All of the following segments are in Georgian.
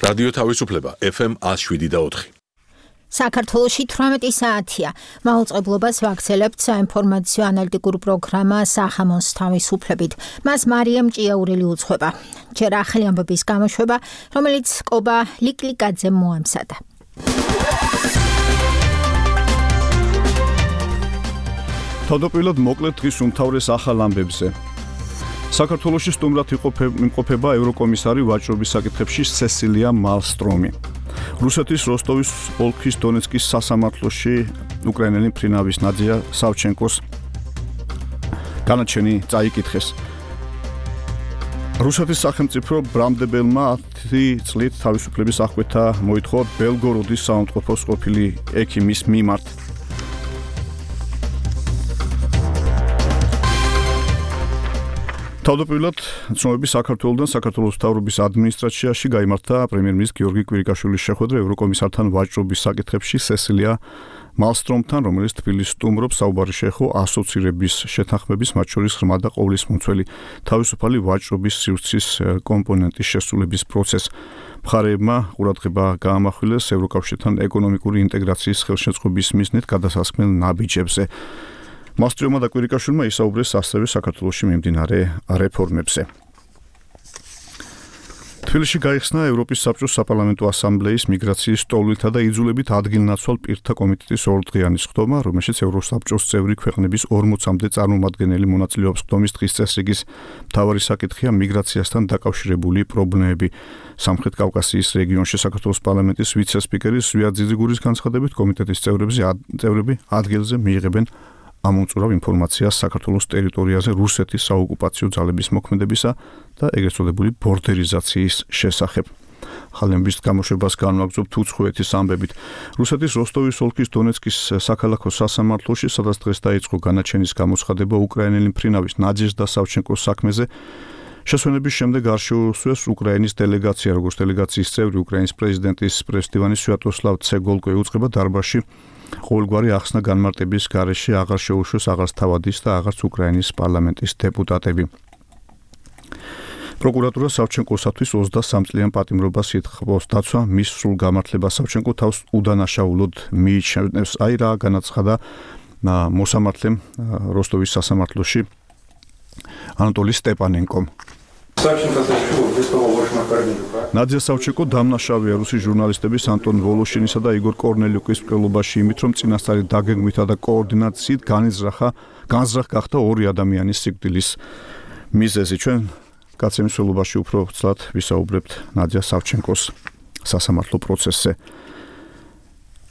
რადიო თავისუფლება FM 107.4. საქართველოში 18 საათია. მაუწყებლობას ვაგრძელებთ საინფორმაციო ანალიტიკურ პროგრამა სახამოს თავისუფლებით. მას მარიამ ჭიაურელი უძღვება. ჯერ ახალი ამბების გამოშვება, რომელიც კობა ლიკლიკაძემ მოამზადა. თავდაპირველად მოკლედ დღის უმთავრეს ახალ ამბებზე. საქართველოში სტუმრად იმყოფება ევროკომისარი ვაჭრობის საკითხებში სესილია მალსტრომი. რუსეთის როსტოვის ოლქის დონეცკის სასამართლოში უკრაინელი მფრინავის ნადია სავჩენკოს განაჩენი წაიკითხეს. რუსეთის სახელმწიფო ბრამდებელმა 10 წლით თავისუფლების აღკვეთა მოითხოვა ბელგოროდის საავადმყოფოს ყოფილი ექიმის მიმართ. თავდაპირველად ცნობები საქართველოსთან საქართველოს მთავრობის ადმინისტრაციაში გაიმართა პრემიერ-მინისტრის გიორგი კვირიკაშვილის შეხვედრა ევროკომისართან ვაჭრობის საკითხებში სესილია მალსტრომთან, რომელიც თბილისს სტუმრობს. საუბარი შეეხო ასოცირების შეთანხმების, მათ შორის ღრმა და ყოვლისმომცველი თავისუფალი ვაჭრობის სივრცის კომპონენტის შესრულების პროცესს. მხარეებმა ყურადღება გაამახვილეს ევროკავშირთან ეკონომიკური ინტეგრაციის ხელშეწყობის მიზნით გადასასხმელ ნაბიჯებზე. მალსტრომმა და კვირიკაშვილმა ისაუბრეს ასევე საქართველოში მიმდინარე რეფორმებზე. თბილისში გაიხსნა ევროპის საბჭოს საპარლამენტო ასამბლეის მიგრაციის სტოლითა და იძულებით ადგილნაცვალ პირთა კომიტეტის ორდღიანი სხდომა, რომელშიც ევროსაბჭოს წევრი ქვეყნების 40-მდე წარმომადგენელი მონაწილეობს. სხდომის დღის წესრიგის მთავარი საკითხია მიგრაციასთან დაკავშირებული პრობლემები. სამხრეთ კავკასიის რეგიონში საქართველოს პარლამენტის ვიცე-სპიკერი ზვია ძიძიგურის განცხადებით, კომიტეტის წევრები ადგილზე მიიღებენ ამომწურავ ინფორმაციას საქართველოს ტერიტორიაზე რუსეთის საოკუპაციო ძალების მოქმედებისა და ეგრეთ წოდებული ბორდერიზაციის შესახებ. ხალხების გამოშვებას განვაგრძობთ უცხოეთის ამბებით. რუსეთის როსტოვის ოლქის დონეცკის საქალაქო სასამართლოში, სადაც დღეს დაიწყო განაჩენის გამოცხადება უკრაინელი მფრინავის ნადეჟდა სავჩენკოს საქმეზე, შესვენების შემდეგ არ შეუსვეს უკრაინის დელეგაცია, როგორც დელეგაციის წევრი უკრაინის პრეზიდენტის პრესტივანი სვიატოსლავ ცეგოლკო ეუწყება დარბაზში ყოველგვარი ახსნა განმარტების გარეშე აღარ შეუშვეს აღარც თავადის და აღარც უკრაინის პარლამენტის დეპუტატები. პროკურატურა სავჩენკოსათვის 23 წლიან პატიმრობას ითხოვს. დაცვა მის სრულ გამართლებას სავჩენკო თავს უდანაშაულოდ მიიჩნევს. აი რა განაცხადა მოსამართლემ როსტოვის სასამართლოში ანატოლი სტეპანენკომ. ნადია სავჩენკო დამნაშავეა რუსის ჟურნალისტების ანტონ ვოლოშინისა და იგორ კორნელიუკის მკვლელობაში იმით, რომ წინასწარი დაგეგმვითა და კოორდინაციით განზრახ გახდა ორი ადამიანის სიკვდილის მიზეზი. ჩვენ გაცემის ველობაში უფრო ცალად ვისაუბრებთ ნადია სავჩენკოს სასამართლო პროცესზე.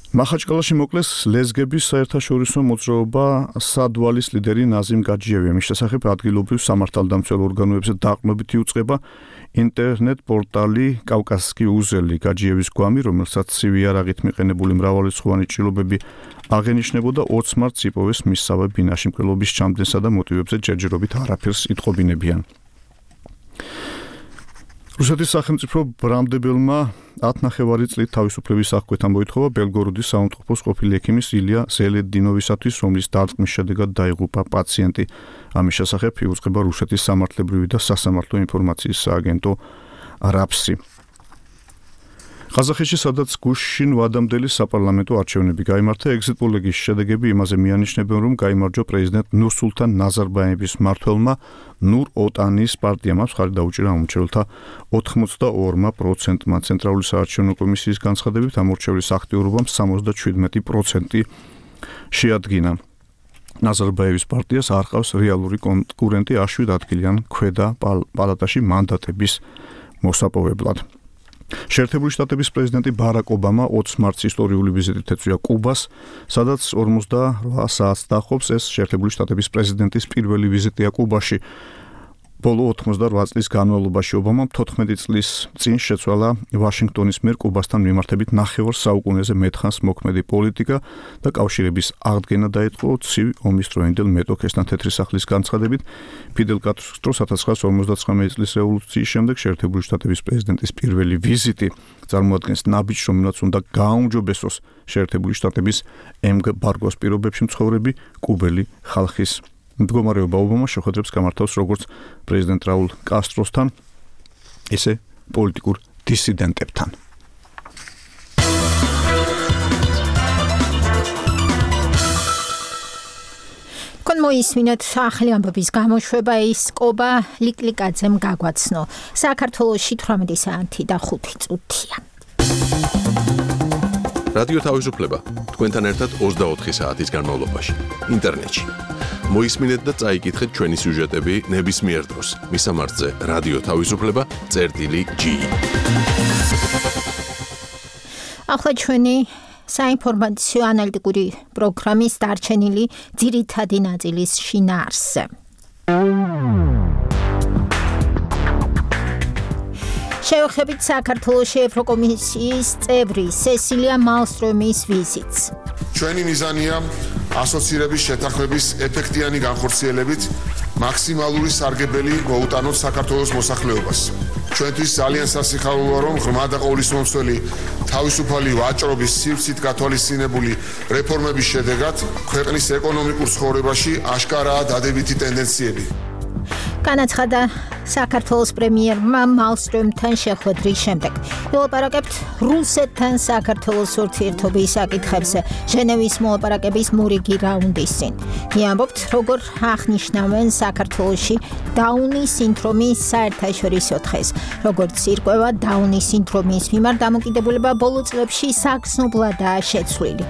მახაჩკალაში მოკლეს ლეზგების საერთაშორისო მოძრაობა სადვალის ლიდერი ნაზიმ გაჯიევი. მის შესახებ ადგილობრივ სამართალდამცველ ორგანოებზე დაყრდნობით იუწყება ინტერნეტ პორტალი კავკასკი უზელი. გაჯიევის გვამი, რომელსაც ცივი იარაღით მიყენებული მრავალრიცხოვანი ჭრილობები აღენიშნებოდა 20 მარტს იპოვეს მისსავე ბინაში მკვლელობის ჩამდენსა და მოტივებზე ჯერჯერობით არაფერს იტყობინებიან. რუსეთის სახელმწიფო ბრამდებელმა 10 წლით თავისუფლების აღკვეთა მოითხოვა ბელგოროდის საავადმყოფოს ყოფილი ექიმის ილია ზელედინოვისათვის, რომლის დარტყმის შედეგად დაიღუპა პაციენტი. ამის შესახებ იუწყება რუსეთის სამართლებრივი და სასამართლო ინფორმაციის სააგენტო რაფსი. ყაზახეთში, სადაც გუშინ ვადამდელი საპარლამენტო არჩევნები გაიმართა, ეგზიტ-პოლების შედეგები იმაზე მიანიშნებენ, რომ გაიმარჯვა პრეზიდენტ ნურსულთან ნაზარბაევის მმართველმა ნურ-ოტანის პარტიამ. მხარი დაუჭირა ამორჩეულთა 82%-მა. ცენტრალური საარჩევნო კომისიის განცხადებით, ამორჩევლის აქტიურობამ 77% შეადგინა. ნაზარბაევის პარტიას არ ყავს რეალური კონკურენტი 7 ადგილიან ქვედა პალატაში მანდატების მოსაპოვებლად. შეერთებული შტატების პრეზიდენტი ბარაკ ობამა 20 მარტს ისტორიული ვიზიტით ეწვია კუბას, სადაც 48 საათს დაჰყობს. ეს შეერთებული შტატების პრეზიდენტის პირველი ვიზიტია კუბაში. ბოლო 88 წლის განმავლობაში ობამამ 14 წლის წინ შეცვალა ვაშინგტონის მიერ კუბასთან მიმართებით 9 საუკუნეზე მეტხანს მოქმედი პოლიტიკა და კავშირების აღდგენა დაიწყო ცივი ომის დროინდელ მეტოქესთან. თეთრი სახლის განცხადებით, ფიდელ კასტროს 1959 წლის რევოლუციის შემდეგ შეერთებული შტატების პრეზიდენტის პირველი ვიზიტი წარმოადგენს ნაბიჯს, რომელსაც უნდა გააუმჯობესოს შეერთებული შტატების ემბარგოს პირობებში მცხოვრები კუბელი ხალხის მდგომარეობა. ობამა შეხვედრებს გამართავს როგორც პრეზიდენტ რაულ კასტროსთან, ისე პოლიტიკურ დისიდენტებთან. თქვენ მოისმინეთ ახალი ამბების გამოშვება ის კობა ლიკლიკაძემ გაგვაცნო. საქართველოში 18 საათი და 5 წუთია. რადიო თავისუფლება თქვენთან ერთად 24 საათის განმავლობაში ინტერნეტში. მოისმინეთ და წაიკითხეთ ჩვენი სიუჟეტები ნებისმიერ დროს. მისამართზე რადიო თავისუფლება.ge. ახლა ჩვენი საინფორმაციო ანალიტიკური პროგრამის დარჩენილი ძირითადი ნაწილის შინაარსზე. შევხედეთ საქართველოში ევროკომისიის წევრი სესილია მალსტრომის ვიზიტს. ჩვენი მიზანია ასოცირების შეთანხმების ეფექტიანი განხორციელებით მაქსიმალური სარგებელი მოუტანოთ საქართველოს მოსახლეობას. ჩვენთვის ძალიან სასიხარულოა, რომ ღრმა და ყოვლისმომცველი თავისუფალი ვაჭრობის სივრცით გათვალისწინებული რეფორმების შედეგად ქვეყნის ეკონომიკურ ცხოვრებაში აშკარაა დადებითი ტენდენციები. განაცხადა საქართველოს პრემიერმა მალსტრომთან შეხვედრის შემდეგ. ვილაპარაკებთ რუსეთთან საქართველოს ურთიერთობის საკითხებზე ჟენევის მოლაპარაკების მორიგი რაუნდის წინ. ვიამბობთ, როგორ აღნიშნავენ საქართველოში დაუნის სინდრომის საერთაშორისო დღეს, როგორც ირკვევა დაუნის სინდრომის მიმართ დამოკიდებულება ბოლო წლებში საგრძნობლადაა შეცვლილი.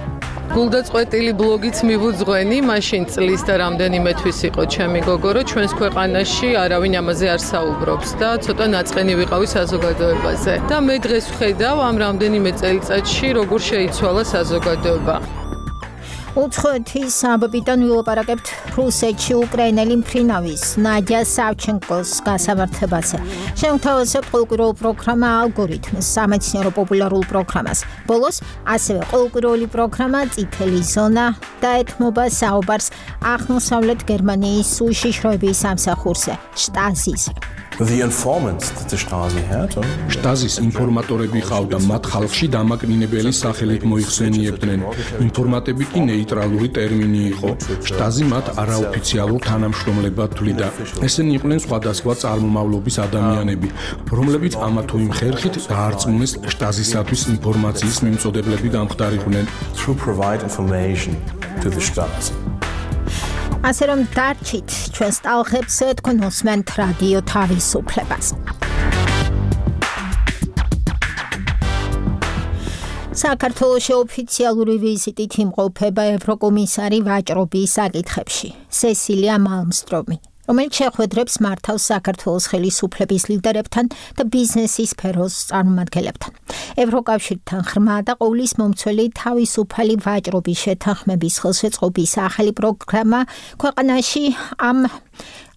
გულდაწყვეტილი ბლოგიც მივუძღვენი, მაშინ წლის და რამდენიმე თვის იყო ჩემი გოგო, რომ ჩვენს ქვეყანაში არავინ ამაზე არ საუბრობს და ცოტა ნაწყენი ვიყავი საზოგადოებაზე. და მე დღეს ვხედავ ამ რამდენიმე წელიწადში როგორ შეიცვალა საზოგადოება. უცხოეთის ამბებიდან ვილაპარაკებთ რუსეთში უკრაინელი მფრინავის ნადია სავჩენკოს გასამართებაზე. შევთავაზებთ ყოველკვირეულ პროგრამა ალგორითმს, სამეცნიერო პოპულარულ პროგრამას. ბოლოს ასევე ყოველკვირეული პროგრამა წითელი ზონა და ეთმობა საუბარს აღმოსავლეთ გერმანიის უშიშროების სამსახურზე, შტაზიზე. შტაზის ინფორმატორები ყავდა, მათ ხალხში დამაკნინებელი სახელით მოიხსენიებდნენ. ინფორმატები კი ნეიტრალური ტერმინი იყო. შტაზი მათ არაოფიციალურ თანამშრომლებად თვლიდა. ესენი იყვნენ სხვადასხვა წარმომავლობის ადამიანები, რომლებიც ამა თუ იმ ხერხით დაარწმუნეს შტაზისათვის ინფორმაციის მიმწოდებლები გამხდარიყვნენ. ასე რომ დარჩით ჩვენს ტალღებს, თქვენ უსმენთ რადიო თავისუფლებას. საქართველოში ოფიციალური ვიზიტით იმყოფება ევროკომისარი ვაჭრობის საკითხებში სესილია მალმსტრომი, რომელიც შეხვედრებს მართავს საქართველოს ხელისუფლების ლიდერებთან და ბიზნესის სფეროს წარმომადგენლებთან. ევროკავშირთან ღრმა და ყოვლისმომცველი თავისუფალი ვაჭრობის შეთანხმების ხელშეწყობის ახალი პროგრამა ქვეყანაში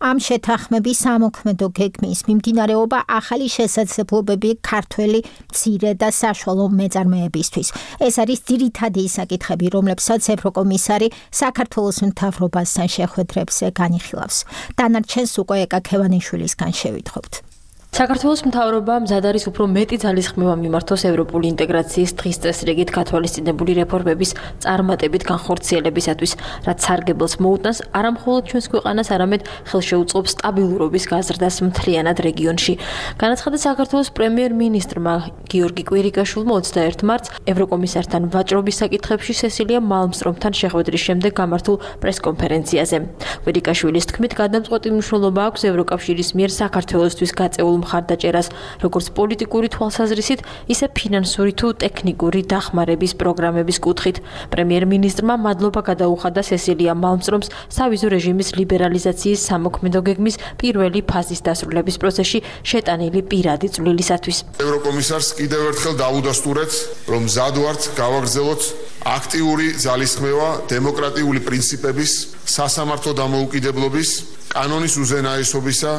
ამ შეთანხმების სამოქმედო გეგმის მიმდინარეობა ახალი შესაძლებლობები ქართველი მცირე და საშუალო მეწარმეებისთვის. ეს არის ძირითადი საკითხები, რომლებსაც ევროკომისარი საქართველოს მთავრობასთან შეხვედრებზე განიხილავს. დანარჩენს უკვე ეკა ქევანიშვილისგან შევითხობთ. საქართველოს მთავრობა მზად არის უფრო მეტი ძალისხმევა მიმართოს ევროპული ინტეგრაციის დღის წესრიგით გათვალისწინებული რეფორმების წარმატებით განხორციელებისათვის, რაც სარგებელს მოუტანს არა მხოლოდ ჩვენს ქვეყანას, არამედ ხელშეუწყობს სტაბილურობის გაზრდას მთლიანად რეგიონში. განაცხადა საქართველოს პრემიერ-მინისტრმა გიორგი კვირიკაშვილმა 21 მარტს ევროკომისართან ვაჭრობის საკითხებში სესილია მალმსტრომთან შეხვედრის შემდეგ გამართულ პრესკონფერენციაზე. კვირიკაშვილის თქმით, გადამწყვეტი მნიშვნელობა აქვს ევროკავშირის მიერ საქართველოსთვის გაწეულ მხარდაჭერას, როგორც პოლიტიკური თვალსაზრისით, ისე ფინანსური თუ ტექნიკური დახმარების პროგრამების კუთხით. პრემიერ-მინისტრმა მადლობა გადაუხადა სესილია მალმსტრომს სავიზო რეჟიმის ლიბერალიზაციის სამოქმედო გეგმის პირველი ფაზის დასრულების პროცესში შეტანილი პირადი წვლილისათვის. ევროკომისარს კიდევ ერთხელ დავუდასტურეთ, რომ მზად ვართ გავაგრძელოთ აქტიური ძალისხმევა დემოკრატიული პრინციპების, სასამართლო დამოუკიდებლობის, კანონის უზენაესობისა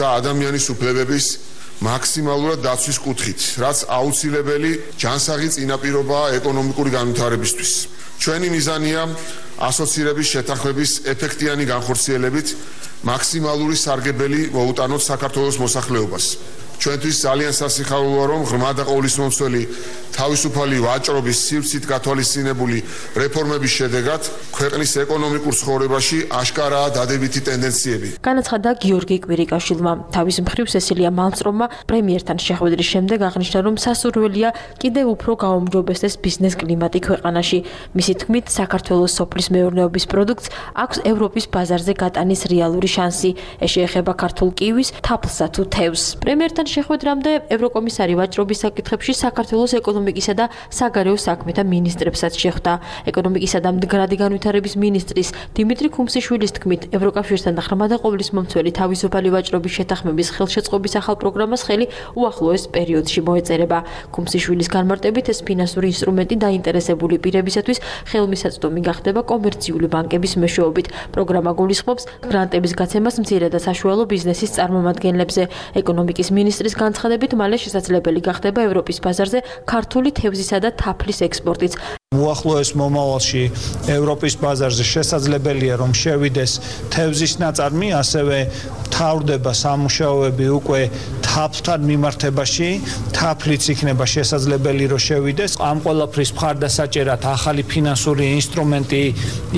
და ადამიანის უფლებების მაქსიმალურად დაცვის კუთხით, რაც აუცილებელი ჯანსაღი წინაპირობაა ეკონომიკური განვითარებისთვის. ჩვენი მიზანია ასოცირების შეთანხმების ეფექტიანი განხორციელებით მაქსიმალური სარგებელი მოუტანოთ საქართველოს მოსახლეობას. ჩვენთვის ძალიან სასიხარულოა, რომ ღრმა და ყოვლისმომცველი თავისუფალი ვაჭრობის სივრცით გათვალისწინებული რეფორმების შედეგად ქვეყნის ეკონომიკურ ცხოვრებაში აშკარაა დადებითი ტენდენციები. განაცხადა გიორგი კვირიკაშვილმა. თავის მხრივ სესილია მალმსტრომმა პრემიერთან შეხვედრის შემდეგ აღნიშნა, რომ სასურველია კიდევ უფრო გაუმჯობესდეს ბიზნეს კლიმატი ქვეყანაში. მისი თქმით, საქართველოს სოფლის მეურნეობის პროდუქტს აქვს ევროპის ბაზარზე გატანის რეალური შანსი. ეს შეეხება ქართულ კივის, თაფლსა თუ თევზს. პრემიერთან შეხვედრამდე ევროკომისარი ვაჭრობის საკითხებში საქართველოს ეკონომიკისა და საგარეო საქმეთა მინისტრებსაც შეხვდა. ეკონომიკისა და მდგრადი განვითარების მინისტრის დიმიტრი ქუმსიშვილის თქმით, ევროკავშირთან და ღრმა და ყოვლისმომცველი თავისუფალი ვაჭრობის შეთანხმების ხელშეწყობის ახალ პროგრამას ხელი უახლოეს პერიოდში მოეწერება. ქუმსიშვილის განმარტებით, ეს ფინანსური ინსტრუმენტი დაინტერესებული პირებისათვის ხელმისაწვდომი გახდება კომერციული ბანკების მეშვეობით. პროგრამა გულისხმობს გრანტების გაცემას მცირე და საშუალო ბიზნესის წარმომადგენლებზე. ეკონომიკის მინისტრის განცხადებით, მალე შესაძლებელი გახდება ევროპის ბაზარზე ქართული თევზისა და თაფლის ექსპორტიც. უახლოეს მომავალში ევროპის ბაზარზე შესაძლებელია, რომ შევიდეს თევზის ნაწარმი, ასევე თავდება სამუშაოები უკვე თაფლთან მიმართებაში, თაფლიც იქნება შესაძლებელი, რომ შევიდეს. ამ ყველაფრის მხარდასაჭერად ახალი ფინანსური ინსტრუმენტი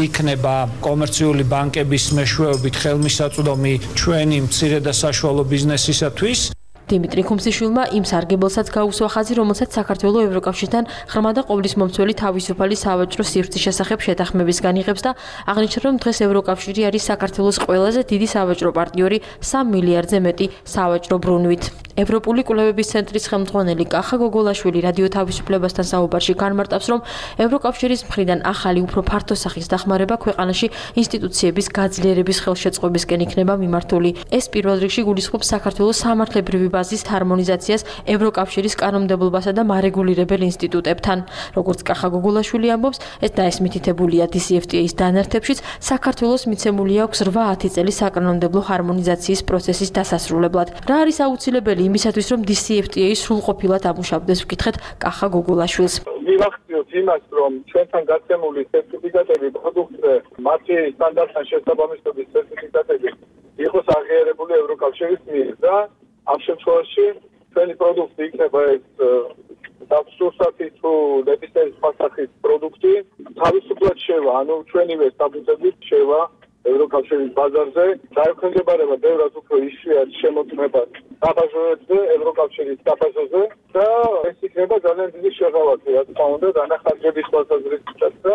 იქნება კომერციული ბანკების მეშვეობით ხელმისაწვდომი ჩვენი მცირე და საშუალო ბიზნესისათვის. დიმიტრი ქუმსიშვილმა იმ სარგებელსაც გაუსვა ხაზი, რომელსაც საქართველოს ევროკავშირთან ღრმა და ყოვლისმომცველი თავისუფალი სავაჭრო სივრცის შესახებ შეთანხმებისგან იღებს და აღნიშნა, რომ დღეს ევროკავშირი არის საქართველოს ყველაზე დიდი სავაჭრო პარტნიორი 3 მილიარდზე მეტი სავაჭრო ბრუნვით. ევროპული კვლევების ცენტრის ხელმძღვანელი კახა გოგოლაშვილი რადიო თავისუფლებასთან საუბარში განმარტავს, რომ ევროკავშირის მხრიდან ახალი უფრო ფართო სახის დახმარება ქვეყანაში ინსტიტუციების გაძლიერების ხელშეწყობისკენ იქნება მიმართული. ეს პირველ რიგში გულისხმობს საქართველოს სამართლებრივი ბაზის ჰარმონიზაციას ევროკავშირის კანონმდებლობასა და მარეგულირებელ ინსტიტუტებთან. როგორც კახა გოგოლაშვილი ამბობს, ეს დაესმითითებულია DCFTA-ის დანართებშიც, საქართველოს მიცემული აქვს 8-10 წელი საკანონმდებლო ჰარმონიზაციის პროცესის დასასრულებლად. რა არის აუცილებელი იმისათვის, რომ DCFTA სრულყოფილად ამუშავდეს, ვკითხეთ კახა გოგოლაშვილს. მივახციოთ იმას, რომ ჩვენთან გაცემული სერტიფიკატები პროდუქტზე, მათი სტანდარტთან შესაბამისობის სერტიფიკატები იყოს აღიარებული ევროკავშირის მიერ და ამ შემთხვევაში ჩვენი პროდუქტი იქნება ეს დაბსურსათი თუ ნებისმიერი სხვა სახის პროდუქტი თავისუფლად შევა, ანუ ჩვენივე სტატუსებით შევა ევროკავშირის ბაზარზე, დაექვემდებარება ბევრად უფრო იშვიათ შემოწმებას საფასურებზე, ევროკავშირის საფასურზე და ეს იქნება ძალიან დიდი შეღავათი, რა თქმა უნდა, დანახარჯების თვალსაზრისითაც და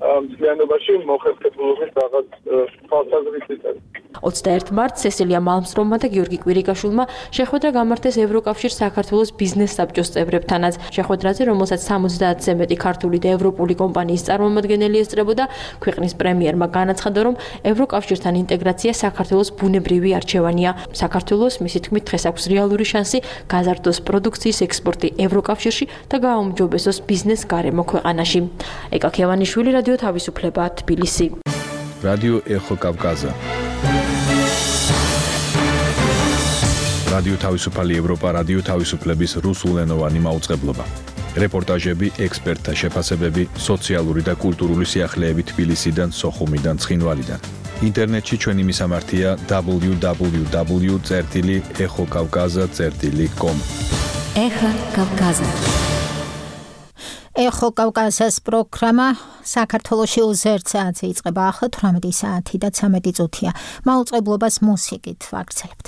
მთლიანობაში მოხერხებულობის რაღაც თვალსაზრისითაც. 21 მარტს სესილია მალმსტრომმა და გიორგი კვირიკაშვილმა შეხვედრა გამართეს ევროკავშირ საქართველოს ბიზნეს საბჭოს წევრებთანაც. შეხვედრაზე, რომელსაც 70-ზე მეტი ქართული და ევროპული კომპანიის წარმომადგენელი ესწრებოდა, ქვეყნის პრემიერმა განაცხადა, რომ ევროკავშირთან ინტეგრაცია საქართველოს ბუნებრივი არჩევანია. საქართველოს, მისი თქმით, დღეს აქვს რეალური შანსი გაზარდოს პროდუქციის ექსპორტი ევროკავშირში და გააუმჯობესოს ბიზნეს გარემო ქვეყანაში. ეკა ქევანიშვილი, რადიო თავისუფლება, თბილისი. რადიო ეხო კავკაზა. რადიო თავისუფალი ევროპა, რადიო თავისუფლების რუსულენოვანი მაუწყებლობა. რეპორტაჟები, ექსპერტთა შეფასებები, სოციალური და კულტურული სიახლეები თბილისიდან, სოხუმიდან, ცხინვალიდან. ინტერნეტში ჩვენი მისამართია www.ეხოკავკაზა.com. ეხო კავკაზა. ეხო კავკაზას პროგრამა საქართველოში უზერთსაათზე იწყება ახლა 18 საათი და 13 წუთია. მაუწყებლობას მუსიკით ვაგრძელებთ.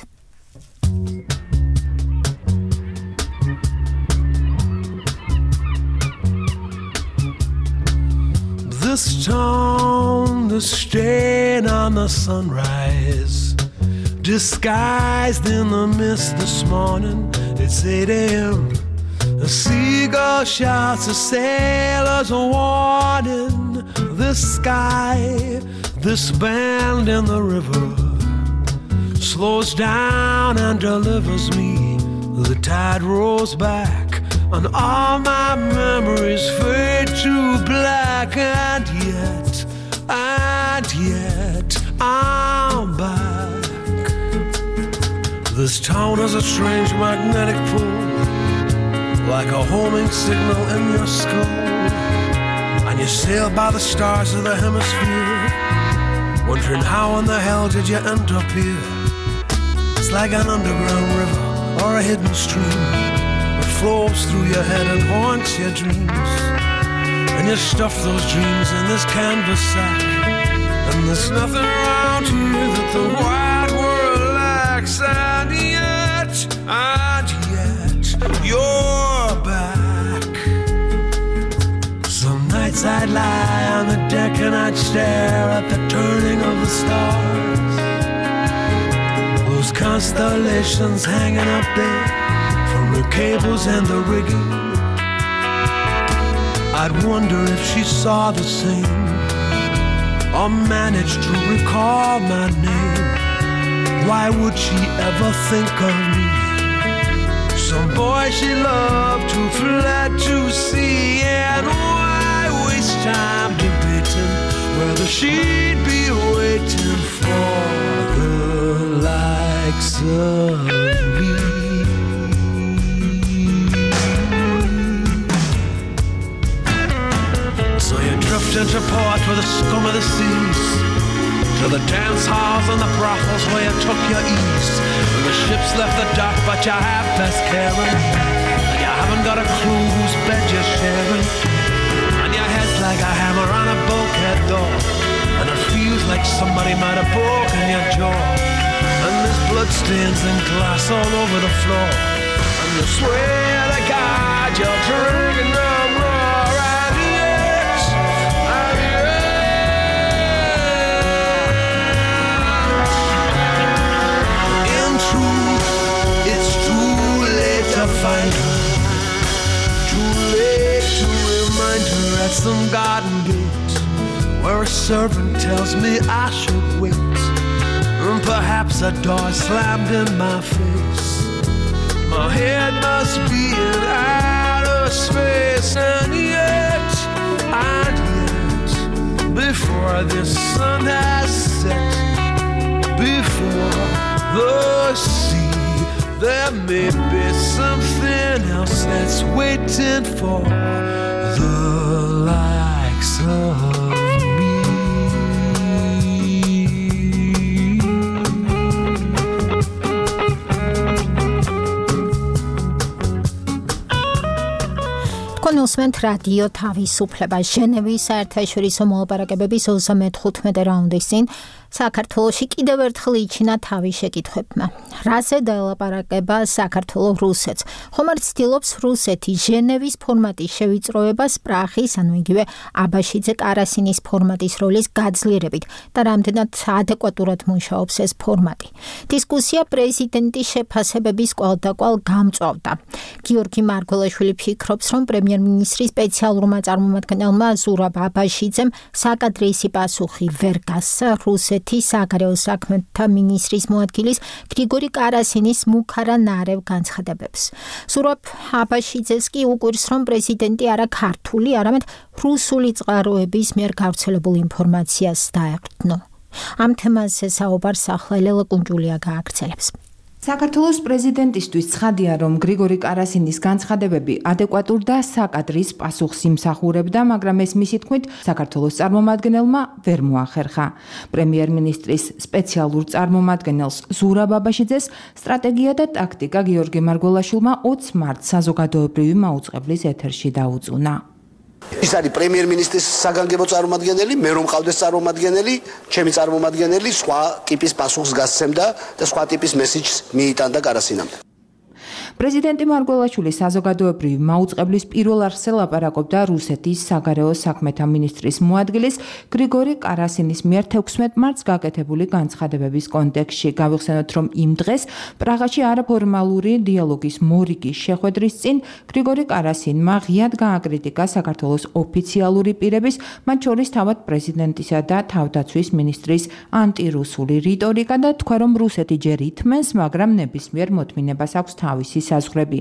This town, the stain on the sunrise, disguised in the mist this morning. It's 8 a.m. A seagull shouts a sailor's warning. This sky, this bend in the river, slows down and delivers me. The tide rolls back and all my memories fade to black. And yet I'm back. This town is a strange magnetic pull, like a homing signal in your skull. And you sail by the stars of the hemisphere, wondering how in the hell did you end up here. It's like an underground river or a hidden stream that flows through your head and haunts your dreams. And you stuff those dreams in this canvas sack, and there's nothing around here that the wide world lacks. And yet, you're back. Some nights I'd lie on the deck and I'd stare at the turning of the stars, those constellations hanging up there from the cables and the rigging. I'd wonder if she saw the same, or managed to recall my name. Why would she ever think of me? Some boy she loved who fled to sea, and why waste time debating whether she'd be waiting for the likes of me? So you drift into port with the scum of the seas, to the dance halls and the brothels where you took your ease. The ship's left the dock, but you have best caring, and you haven't got a clue whose bed you're sharing. And your head's like a hammer on a bulkhead door, and it feels like somebody might have broken your jaw. And there's bloodstains and glass all over the floor, and you swear to God you're drinking no more. Find her. Too late to remind her at some garden gate, where a servant tells me I should wait, and perhaps a door slammed in my face. My head must be in outer space, and yet, before the sun has set, before the sea, there may be something else that's waiting for the likes of me. კონსვენტ რადიო თავისუფლება ჟენევის საერთაშორისო მოლაპარაკებების 35 რაუნდის წინ საქართველოში კიდევ ერთხელ იჩინა თავის შეკითხვებმა. რაზე დაელაპარაკება საქართველოს რუსეთს? ხომ არ ცდილობს რუსეთი ჟენევის ფორმატის შევიწროებას პრაღის, ანუ იგივე აბაშიძე კარასინის ფორმატის როლის გაძლიერებით და რამდენად ადეკვატურად მუშაობს ეს ფორმატი. დისკუსია პრეზიდენტის შეფასებების კვალდაკვალ გამწვავდა. გიორგი მარგველაშვილი ფიქრობს, რომ პრემიერ-მინისტრის სპეციალურმა წარმომადგენელმა ზურაბ აბაშიძემ საკადრისი პასუხი ვერ გასცა რუსეთის საგარეო საქმეთა მინისტრის მოადგილის გრიგორი კარასინის მუქარა ნარევ განცხადებებს. ზურაბ აბაშიძეს კი უკვირს, რომ პრეზიდენტი არა ქართული, არამედ რუსული წყაროების მიერ გავრცელებულ ინფორმაციას დაეყრდნო. ამ თემაზე საუბარს ახლა ელელა კუნჯულია გააგრძელებს. საქართველოს პრეზიდენტისთვის ცხადია, რომ გრიგორი კარასინის განცხადებები ადეკვატურ და საკადრის პასუხს იმსახურებდა, მაგრამ ეს მისი თქმით საქართველოს წარმომადგენელმა ვერ მოახერხა. პრემიერ-მინისტრის სპეციალურ წარმომადგენელს ზურაბ აბაშიძეს სტრატეგია და ტაქტიკა გიორგი მარგველაშვილმა 20 მარტს საზოგადოებრივი მაუწყებლის ეთერში დაუწუნა. ის არის პრემიერ-მინისტრის საგანგებო წარმომადგენელი, მე რომ მყავდეს წარმომადგენელი, ჩემი წარმომადგენელი სხვა ტიპის პასუხს გასცემდა და სხვა ტიპის მესიჯს მიიტანდა კარასინამდე. პრეზიდენტი მარგველაშვილი საზოგადოებრივი მაუწყებლის პირველ არხზე ლაპარაკობდა რუსეთის საგარეო საქმეთა მინისტრის მოადგილის გრიგორი კარასინის მიერ 16 მარტს გაკეთებული განცხადებების კონტექსტში. გავიხსენოთ, რომ იმ დღეს პრაღაში არაფორმალური დიალოგის მორიგის შეხვედრის წინ გრიგორი კარასინმა ღიად გააკრიტიკა საქართველოს ოფიციალური პირების, მათ შორის თავად პრეზიდენტისა და თავდაცვის მინისტრის ანტირუსული რიტორიკა და თქვა, რომ რუსეთი ჯერ ითმენს, მაგრამ ნებისმიერ მოთმინებას აქვს თავისი საზღვრები.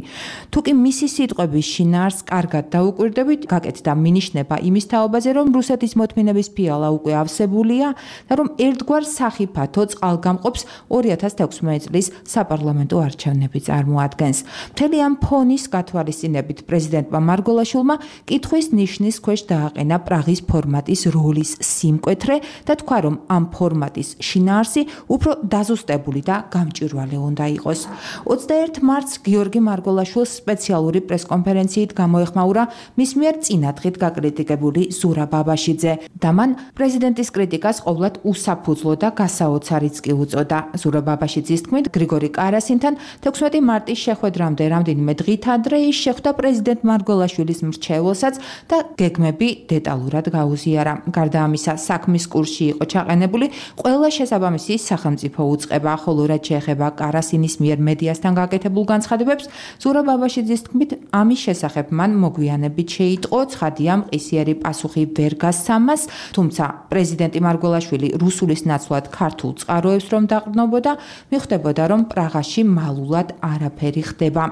თუკი მისი სიტყვების შინაარსს კარგად დაუკვირდებით, გაკეთდა მინიშნება იმის თაობაზე, რომ რუსეთის მოთმინების ფიალა უკვე ავსებულია და რომ ერთგვარ სახიფათო წყალგამყოფს 2016 წლის საპარლამენტო არჩევნები წარმოადგენს. მთელი ამ ფონის გათვალისწინებით პრეზიდენტმა მარგოლაშვილმა კითხვის ნიშნის ქვეშ დააყენა პრაღის ფორმატის როლის სიმკვეთრე და თქვა, რომ ამ ფორმატის შინაარსი უფრო დაზუსტებული და გამჭვირვალე უნდა იყოს. 21 მარტს გიორგი მარგოლაშვილს სპეციალური პრესკონფერენციით გამოეხმაურა მის მიერ წინადღით გაკრიტიკებული ზურაბ აბაშიძე და მან პრეზიდენტის კრიტიკას ყოვლად უსაფუძვლო და გასაოცარიც კი უწოდა. ზურაბ აბაშიძის თქმით, გრიგორი კარასინთან 16 მარტის შეხვედრამდე რამდენიმე დღით ადრე ის შეხვდა პრეზიდენტ მარგოლაშვილის მრჩეველსაც და გეგმები დეტალურად გაუზიარა. გარდა ამისა, საქმის კურსში იყო ჩაყენებული ყველა შესაბამისი სახელმწიფო უწყება, ხოლო რაც შეეხება კარასინის მიერ მედიასთან გაკეთებულ განცხადებებს, ზურაბ აბაშიძის თქმით, ამის შესახებ მან მოგვიანებით შეიტყო, ცხადია მყისიერი პასუხი ვერ გასცამას, თუმცა პრეზიდენტი მარგოლაშვილი რუსულის ნაცვლად ქართულ წყაროებს რომ დაყრდნობოდა, მიხვდებოდა, რომ პრაღაში მალულად არაფერი ხდება.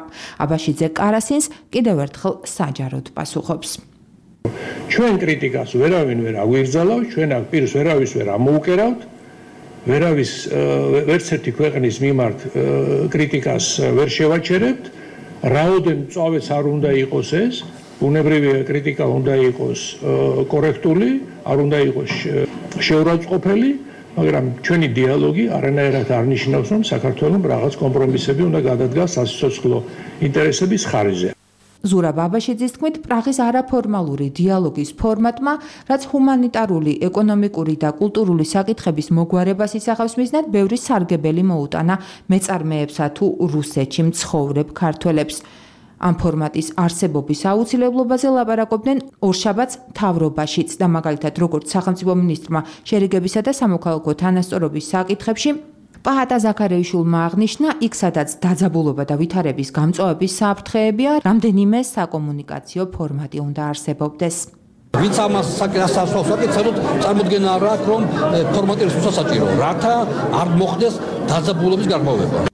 აბაშიძე კარასინს კიდევ ერთხელ საჯაროდ პასუხობს. ჩვენ კრიტიკას ვერავინ ვერ აგვიგზავნავთ, ჩვენ აქ პირს ვერავის ვერ ამოუკერავთ, ვერავის ვერც ერთი ქვეყნის მიმართ კრიტიკას ვერ შევაჩერებთ, რაოდენ მწვავეც არ უნდა იყოს ეს, უნებრივია კრიტიკა უნდა იყოს კორექტული, არ უნდა იყოს შეურაცხყოფელი, მაგრამ ჩვენი დიალოგი არანაირად არ ნიშნავს, რომ საქართველოს რაღაც კომპრომისები უნდა გადადგას სასიცოცხლო ინტერესების ხარჯზე. ზურაბ აბაშიძის თქმით, პრაღის არაფორმალური დიალოგის ფორმატმა, რაც ჰუმანიტარული, ეკონომიკური და კულტურული საკითხების მოგვარებას ისახავს მიზნად, ბევრი სარგებელი მოუტანა მეწარმეებსა თუ რუსეთში მცხოვრებ ქართველებს. ამ ფორმატის არსებობის აუცილებლობაზე ლაპარაკობდნენ ორშაბათს მთავრობაშიც და მაგალითად, როგორც სახელმწიფო მინისტრმა შერიგებისა და სამოქალაქო თანასწორობის საკითხებში პაჰატა ზაქარიაშვილმა აღნიშნა, იქ სადაც დაძაბულობა და ვითარების გამწვავების საფრთხეებია, რამდენიმე საკომუნიკაციო ფორმატი უნდა არსებობდეს. ვინც ამას საკითხს საკითხებთ, წარმოდგენა არ აქვს, რომ ფორმატი რუსასაჭირო, რათა არ მოხდეს დაძაბულობის გარღვევა.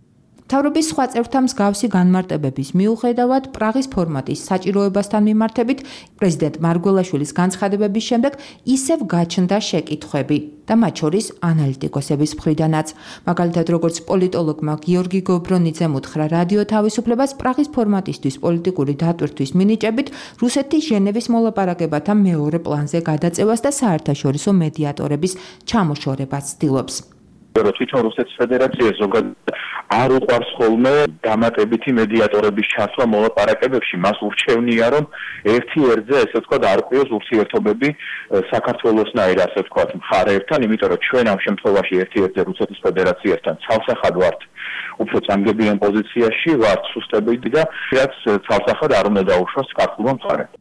მთავრობის სხვა წევრთა მსგავსი განმარტებების მიუხედავად, პრაღის ფორმატის საჭიროებასთან მიმართებით პრეზიდენტ მარგველაშვილის განცხადებების შემდეგ ისევ გაჩნდა შეკითხვები და მათ შორის ანალიტიკოსების მხრიდანაც. მაგალითად, როგორც პოლიტოლოგმა გიორგი გობრონიძემ უთხრა რადიო თავისუფლებას, პრაღის ფორმატისთვის პოლიტიკური დატვირთვის მინიჭებით რუსეთის ჟენევის მოლაპარაკებათა მეორე პლანზე გადაწევას და საერთაშორისო მედიატორების ჩამოშორებას ცდილობს. თვითონ რუსეთის ფედერაცია ზოგადად არ უყვარს ხოლმე დამატებითი მედიატორების ჩასვლა მოლაპარაკებებში, მას ურჩევნია, რომ ერთი ერთზე, ესე ვთქვათ, არკვიოს ურთიერთობები საქართველოსნაირ, ასე ვთქვათ, მხარეებთან, იმიტომ რომ ჩვენ ამ შემთხვევაში ერთი ერთზე რუსეთის ფედერაციასთან ცალსახად ვართ უფრო წამგებიან პოზიციაში, ვართ სუსტებიდი და რაც ცალსახად არ უნდა დაუშვას ქართულმა მხარემ.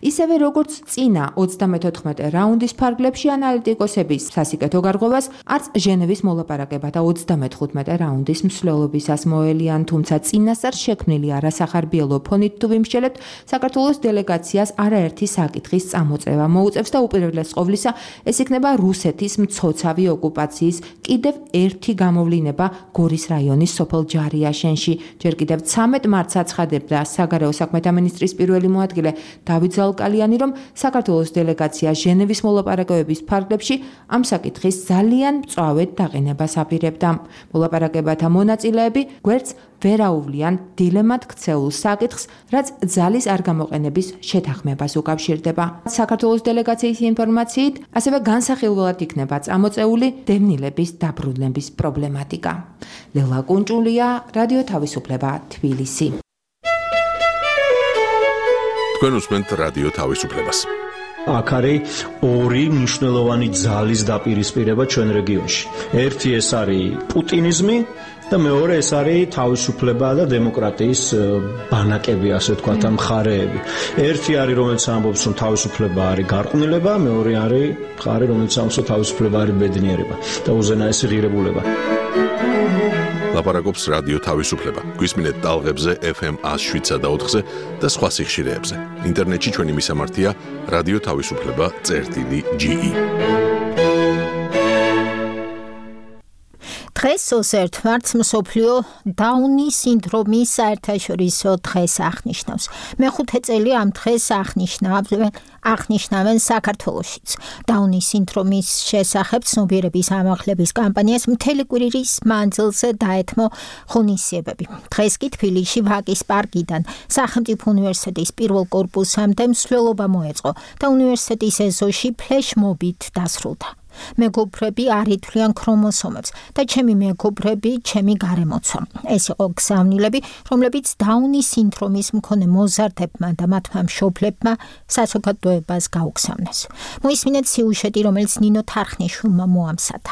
ისევე როგორც წინა 34 რაუნდის ფარგლებში ანალიტიკოსების სასიკეთო გარღვევას არც ჟენევის მოლაპარაკებათა 35 რაუნდის მსვლელობისას მოელიან, თუმცა წინასწარ შექმნილი არასახარბიელო ფონით თუ ვიმსჯელებთ, საქართველოს დელეგაციას არაერთი საკითხის წამოწევა მოუწევს და უპირველეს ყოვლისა ეს იქნება რუსეთის მცოცავი ოკუპაციის კიდევ ერთი გამოვლინება გორის რაიონის სოფელ ჯარიაშენში. ჯერ კიდევ 13 მარტს აცხადებდა საგარეო საქმეთა მინისტრის პირველი მოადგილე დავით კალიანი, რომ საქართველოს დელეგაცია ჟენევის მოლაპარაკებების ფარგლებში ამ საკითხის ძალიან მწვავედ დაყენებას აპირებდა. მოლაპარაკებათა მონაწილეები გვერდს ვერ აუვლიან დილემად ქცეულ საკითხს, რაც ძალის არ გამოყენების შეთანხმებას უკავშირდება. საქართველოს დელეგაციის ინფორმაციით, ასევე განსახილველად იქნება წამოწეული დევნილების დაბრუნების პრობლემატიკა. ლელა კუნჭულია, რადიო თავისუფლება, თბილისი. თქვენ უსმენთ რადიო თავისუფლებას. აქ არის ორი მნიშვნელოვანი ძალის დაპირისპირება ჩვენ რეგიონში. ერთი ეს არის პუტინიზმი და მეორე ეს არის თავისუფლება და დემოკრატიის ბანაკები, ასე ვთქვათ, ამ მხარეები. ერთი არის, რომელიც ამბობს, რომ თავისუფლება არის გარყვნილება, მეორე არის მხარე, რომელიც ამბობს, რომ თავისუფლება არის ბედნიერება და უზენაესი ღირებულება. ლაპარაკობს რადიო თავისუფლება. გვისმინეთ ტალღებზე FM 107 და 4-ზე და სხვა სიხშირეებზე. ინტერნეტში ჩვენი მისამართია რადიო თავისუფლება.ge. დღეს 21 მარტს მსოფლიო დაუნის სინდრომის საერთაშორისო დღეს აღნიშნავს. მეხუთე წელი ამ დღეს აღნიშნავენ საქართველოშიც. დაუნის სინდრომის შესახებ ცნობიერების ამაღლების კამპანიას მთელი კვირის მანძილზე დაეთმო ღონისძიებები. დღეს კი თბილისში ვაკის პარკიდან სახელმწიფო უნივერსიტეტის პირველ კორპუსამდე მსვლელობა მოეწყო და უნივერსიტეტის ეზოში ფლეშმობით დასრულდა. მეგობრები არ ითვლიან ქრომოსომებს და ჩემი მეგობრები, ჩემი გარემოცვა. ეს იყო გზავნილები, რომლებიც დაუნის სინდრომის მქონე მოზარდებმა და მათმა მშობლებმა საზოგადოებას გაუგზავნეს. მოისმინეთ სიუჟეტი, რომელიც ნინო თარხნიშვილმა მოამზადა.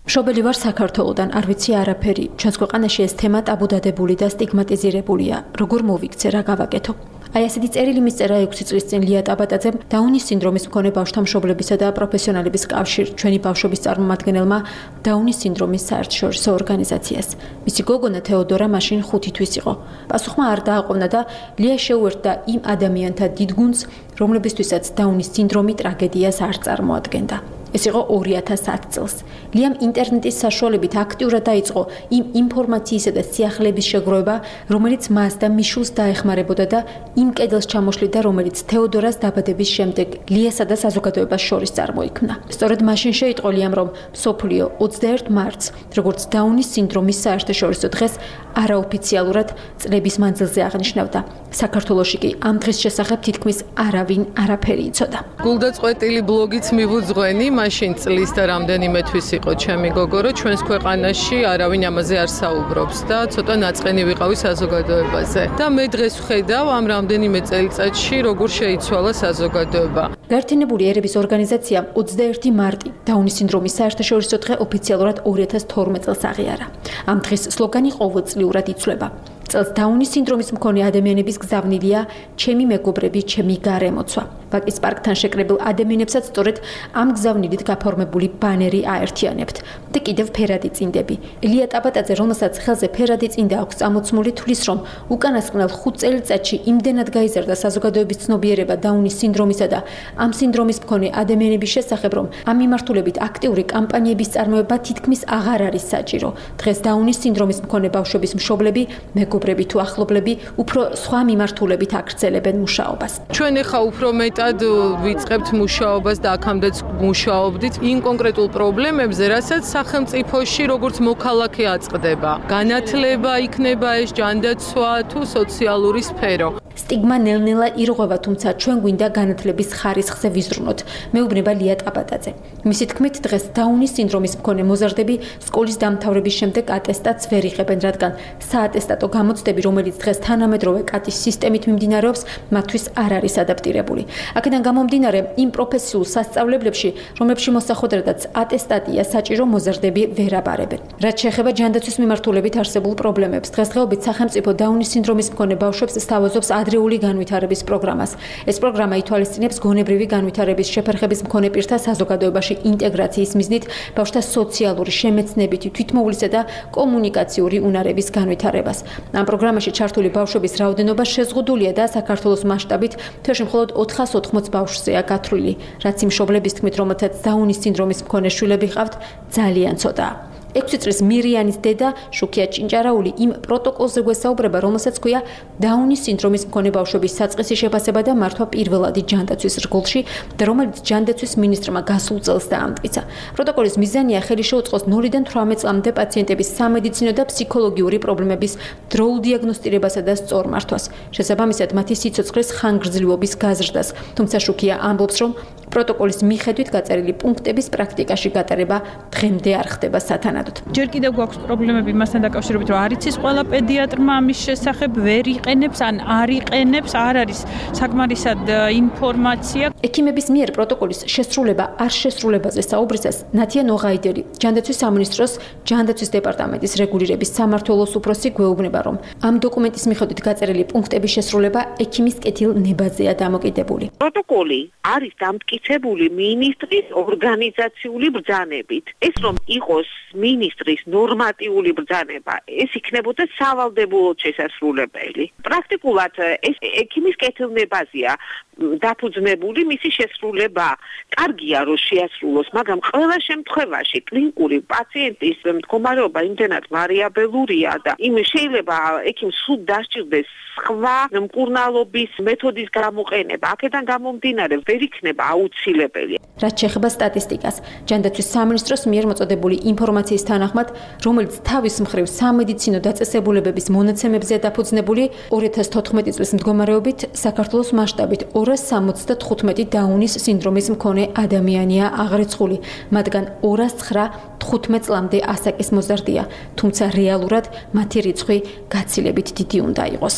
მშობელი ვარ საქართველოდან, არ ვიცი არაფერი. ჩვენს ქვეყანაში ეს თემა ტაბუდადებული და სტიგმატიზირებულია. როგორ მოვიქცე, რა გავაკეთო? აი ასეთი წერილი მისწერა 6 წლის წინ ლია ტაბატაძემ დაუნის სინდრომის მქონე ბავშვთა მშობლებისა და პროფესიონალების კავშირ ჩვენი ბავშვობის წარმომადგენელმა დაუნის სინდრომის საერთაშორისო ორგანიზაციას. მისი გოგონა თეოდორა მაშინ 5 თვის იყო. პასუხმა არ დააყოვნა და ლია შეუერთდა იმ ადამიანთა დიდ გუნდს, რომლებისთვისაც დაუნის სინდრომი ტრაგედიას არ წარმოადგენდა. ეს იყო 2010 წელს. ლიამ ინტერნეტის საშუალებით აქტიურად დაიწყო იმ ინფორმაციისა და სიახლეების შეგროვება, რომელიც მას და მიშულს დაეხმარებოდა და იმ კედელს ჩამოშლიდა, რომელიც თეოდორას დაბადების შემდეგ ლიასა და საზოგადოებას შორის წარმოიქმნა. სწორედ მაშინ შეიტყო ლიამ, რომ მსოფლიო 21 მარტს, როგორც დაუნის სინდრომის საერთაშორისო დღეს, არაოფიციალურად წლების მანძილზე აღნიშნავდა. საქართველოში კი ამ დღის შესახებ თითქმის არავინ არაფერი იცოდა. გულდაწყვეტილი ბლოგიც მივუძღვენი, მაშინ წლის და რამდენიმე თვის იყო ჩემი გოგო, რომ ჩვენს ქვეყანაში არავინ ამაზე არ საუბრობს და ცოტა ნაწყენი ვიყავი საზოგადოებაზე. და მე დღეს ვხედავ ამ რამდენიმე წელიწადში როგორ შეიცვალა საზოგადოება. გაერთიანებული ერების ორგანიზაციამ 21 მარტი დაუნის სინდრომის საერთაშორისო დღე ოფიციალურად 2012 წელს აღიარა. ამ დღის სლოგანი ყოველწლიურად იცვლება. წელს დაუნის სინდრომის მქონე ადამიანების გზავნილია ჩემი მეგობრები, ჩემი გარემოცვა. ვაკის პარკთან შეკრებილ ადამიანებსაც სწორედ ამ გზავნილით გაფორმებული ბანერი აერთიანებთ და კიდევ ფერადი წინდები. ლია ტაბატაძე, რომელსაც ხელზე ფერადი წინდა აქვს წამოცმული, თვლის, რომ უკანასკნელ 5 წელიწადში იმდენად გაიზარდა საზოგადოების ცნობიერება დაუნის სინდრომისა და ამ სინდრომის მქონე ადამიანების შესახებ, რომ ამ მიმართულებით აქტიური კამპანიების წარმოება თითქმის აღარ არის საჭირო. დღეს დაუნის სინდრომის მქონე ბავშვების მშობლები, მეგობრები თუ ახლობლები უფრო სხვა მიმართულებით აგრძელებენ მუშაობას. ჩვენ ახლა უფრო მეტად ვიწყებთ მუშაობას და აქამდეც მუშაობდით იმ კონკრეტულ პრობლემებზე, რასაც სახელმწიფოში როგორც მოქალაქე აწყდება. განათლება იქნება ეს, ჯანდაცვა თუ სოციალური სფერო. სტიგმა ნელ-ნელა ირღვევა, თუმცა ჩვენ გვინდა განათლების ხარისხზე ვიზრუნოთ. მეუბნება ლია ტაბატაძე. მისი თქმით, დღეს დაუნის სინდრომის მქონე მოზარდები სკოლის დამთავრების შემდეგ ატესტატს ვერ იღებენ, რადგან საატესტატო გამოცდები, რომელიც დღეს თანამედროვე კატის სისტემით მიმდინარეობს, მათთვის არ არის ადაპტირებული. აქედან გამომდინარე, იმ პროფესიულ სასწავლებლებში, რომლებში მოსახვედრედაც ატესტატია საჭირო, მოზარდები ვერ აბარებენ. რაც შეეხება ჯანდაცვის მიმართულებით არსებულ პრობლემებს, დღესდღეობით სახელმწიფო დაუნის სინდრომის მქონე ბავშვებს სთავაზობს ადრეული განვითარების პროგრამას. ეს პროგრამა ითვალისწინებს გონებრივი განვითარების შეფერხების მქონე პირთა საზოგადოებაში ინტეგრაციის მიზნით ბავშვთა სოციალური, შემეცნებითი, თვითმოვლისა და კომუნიკაციური უნარების განვითარებას. ამ პროგრამაში ჩართული ბავშვების რაოდენობა შეზღუდულია და საქართველოს მასშტაბით თვეში მხოლოდ 480 ბავშვზეა გათვლილი, რაც იმ მშობლების თქმით, რომელთაც დაუნის სინდრომის მქონე შვილები ჰყავთ, ძალიან ცოტაა. 6 წლის მირიანის დედა შუქია ჭინჭარაული იმ პროტოკოლზე გვესაუბრება, რომელსაც ქვია დაუნის სინდრომის მქონე ბავშვების საწყისი შეფასება და მართვა პირველადი ჯანდაცვის რგოლში და რომელიც ჯანდაცვის მინისტრმა გასულ წელს დაამტკიცა. პროტოკოლის მიზანია ხელი შეუწყოს 0-დან 18 წლამდე პაციენტების სამედიცინო და ფსიქოლოგიური პრობლემების დროულ დიაგნოსტირებასა და სწორ მართვას. შესაბამისად, მათი სიცოცხლის ხანგრძლივობის გაზრდას. თუმცა შუქია ამბობს, რომ პროტოკოლის მიხედვით გაწერილი პუნქტების პრაქტიკაში გატარება დღემდე არ ხდება სათანადოდ. ჯერ კიდევ გვაქვს პრობლემები მასთან დაკავშირებით, რომ არ იცის ყველა პედიატრმა ამის შესახებ, ვერ იყენებს ან არ იყენებს, არ არის საკმარისად ინფორმაცია. ექიმების მიერ პროტოკოლის შესრულება არ შესრულებაზე საუბრისას ნათია ნოღაიდელი, ჯანდაცვის სამინისტროს ჯანდაცვის დეპარტამენტის რეგულირების სამმართველოს უფროსი გვეუბნება, რომ ამ დოკუმენტის მიხედვით გაწერილი პუნქტების შესრულება ექიმის კეთილ ნებაზეა დამოკიდებული. პროტოკოლი არის დამტკიცებული მითითებული მინისტრის ორგანიზაციული ბრძანებით. ეს რომ იყოს მინისტრის ნორმატიული ბრძანება, ეს იქნებოდა სავალდებულოდ შესასრულებელი. პრაქტიკულად ეს ექიმის კეთილნებაზეა დაფუძნებული მისი შესრულება. კარგია რომ შეასრულოს, მაგრამ ყველა შემთხვევაში კლინიკური პაციენტის მდგომარეობა იმდენად ვარიაბელურია და იმ შეიძლება ექიმს სულ დასჭირდეს სხვა მკურნალობის მეთოდის გამოყენება. აქედან გამომდინარე ვერ იქნება აუცილებელი. რაც შეეხება სტატისტიკას, ჯანდაცვის სამინისტროს მიერ მოწოდებული ინფორმაციის თანახმად, რომელიც თავის მხრივ სამედიცინო დაწესებულებების მონაცემებზეა დაფუძნებული, 2014 წლის მდგომარეობით საქართველოს მასშტაბით 275 დაუნის სინდრომის მქონე ადამიანია აღრიცხული, მათგან 209 წლამდე ასაკის მოზარდია, თუმცა რეალურად მათი რიცხვი გაცილებით დიდი უნდა იყოს.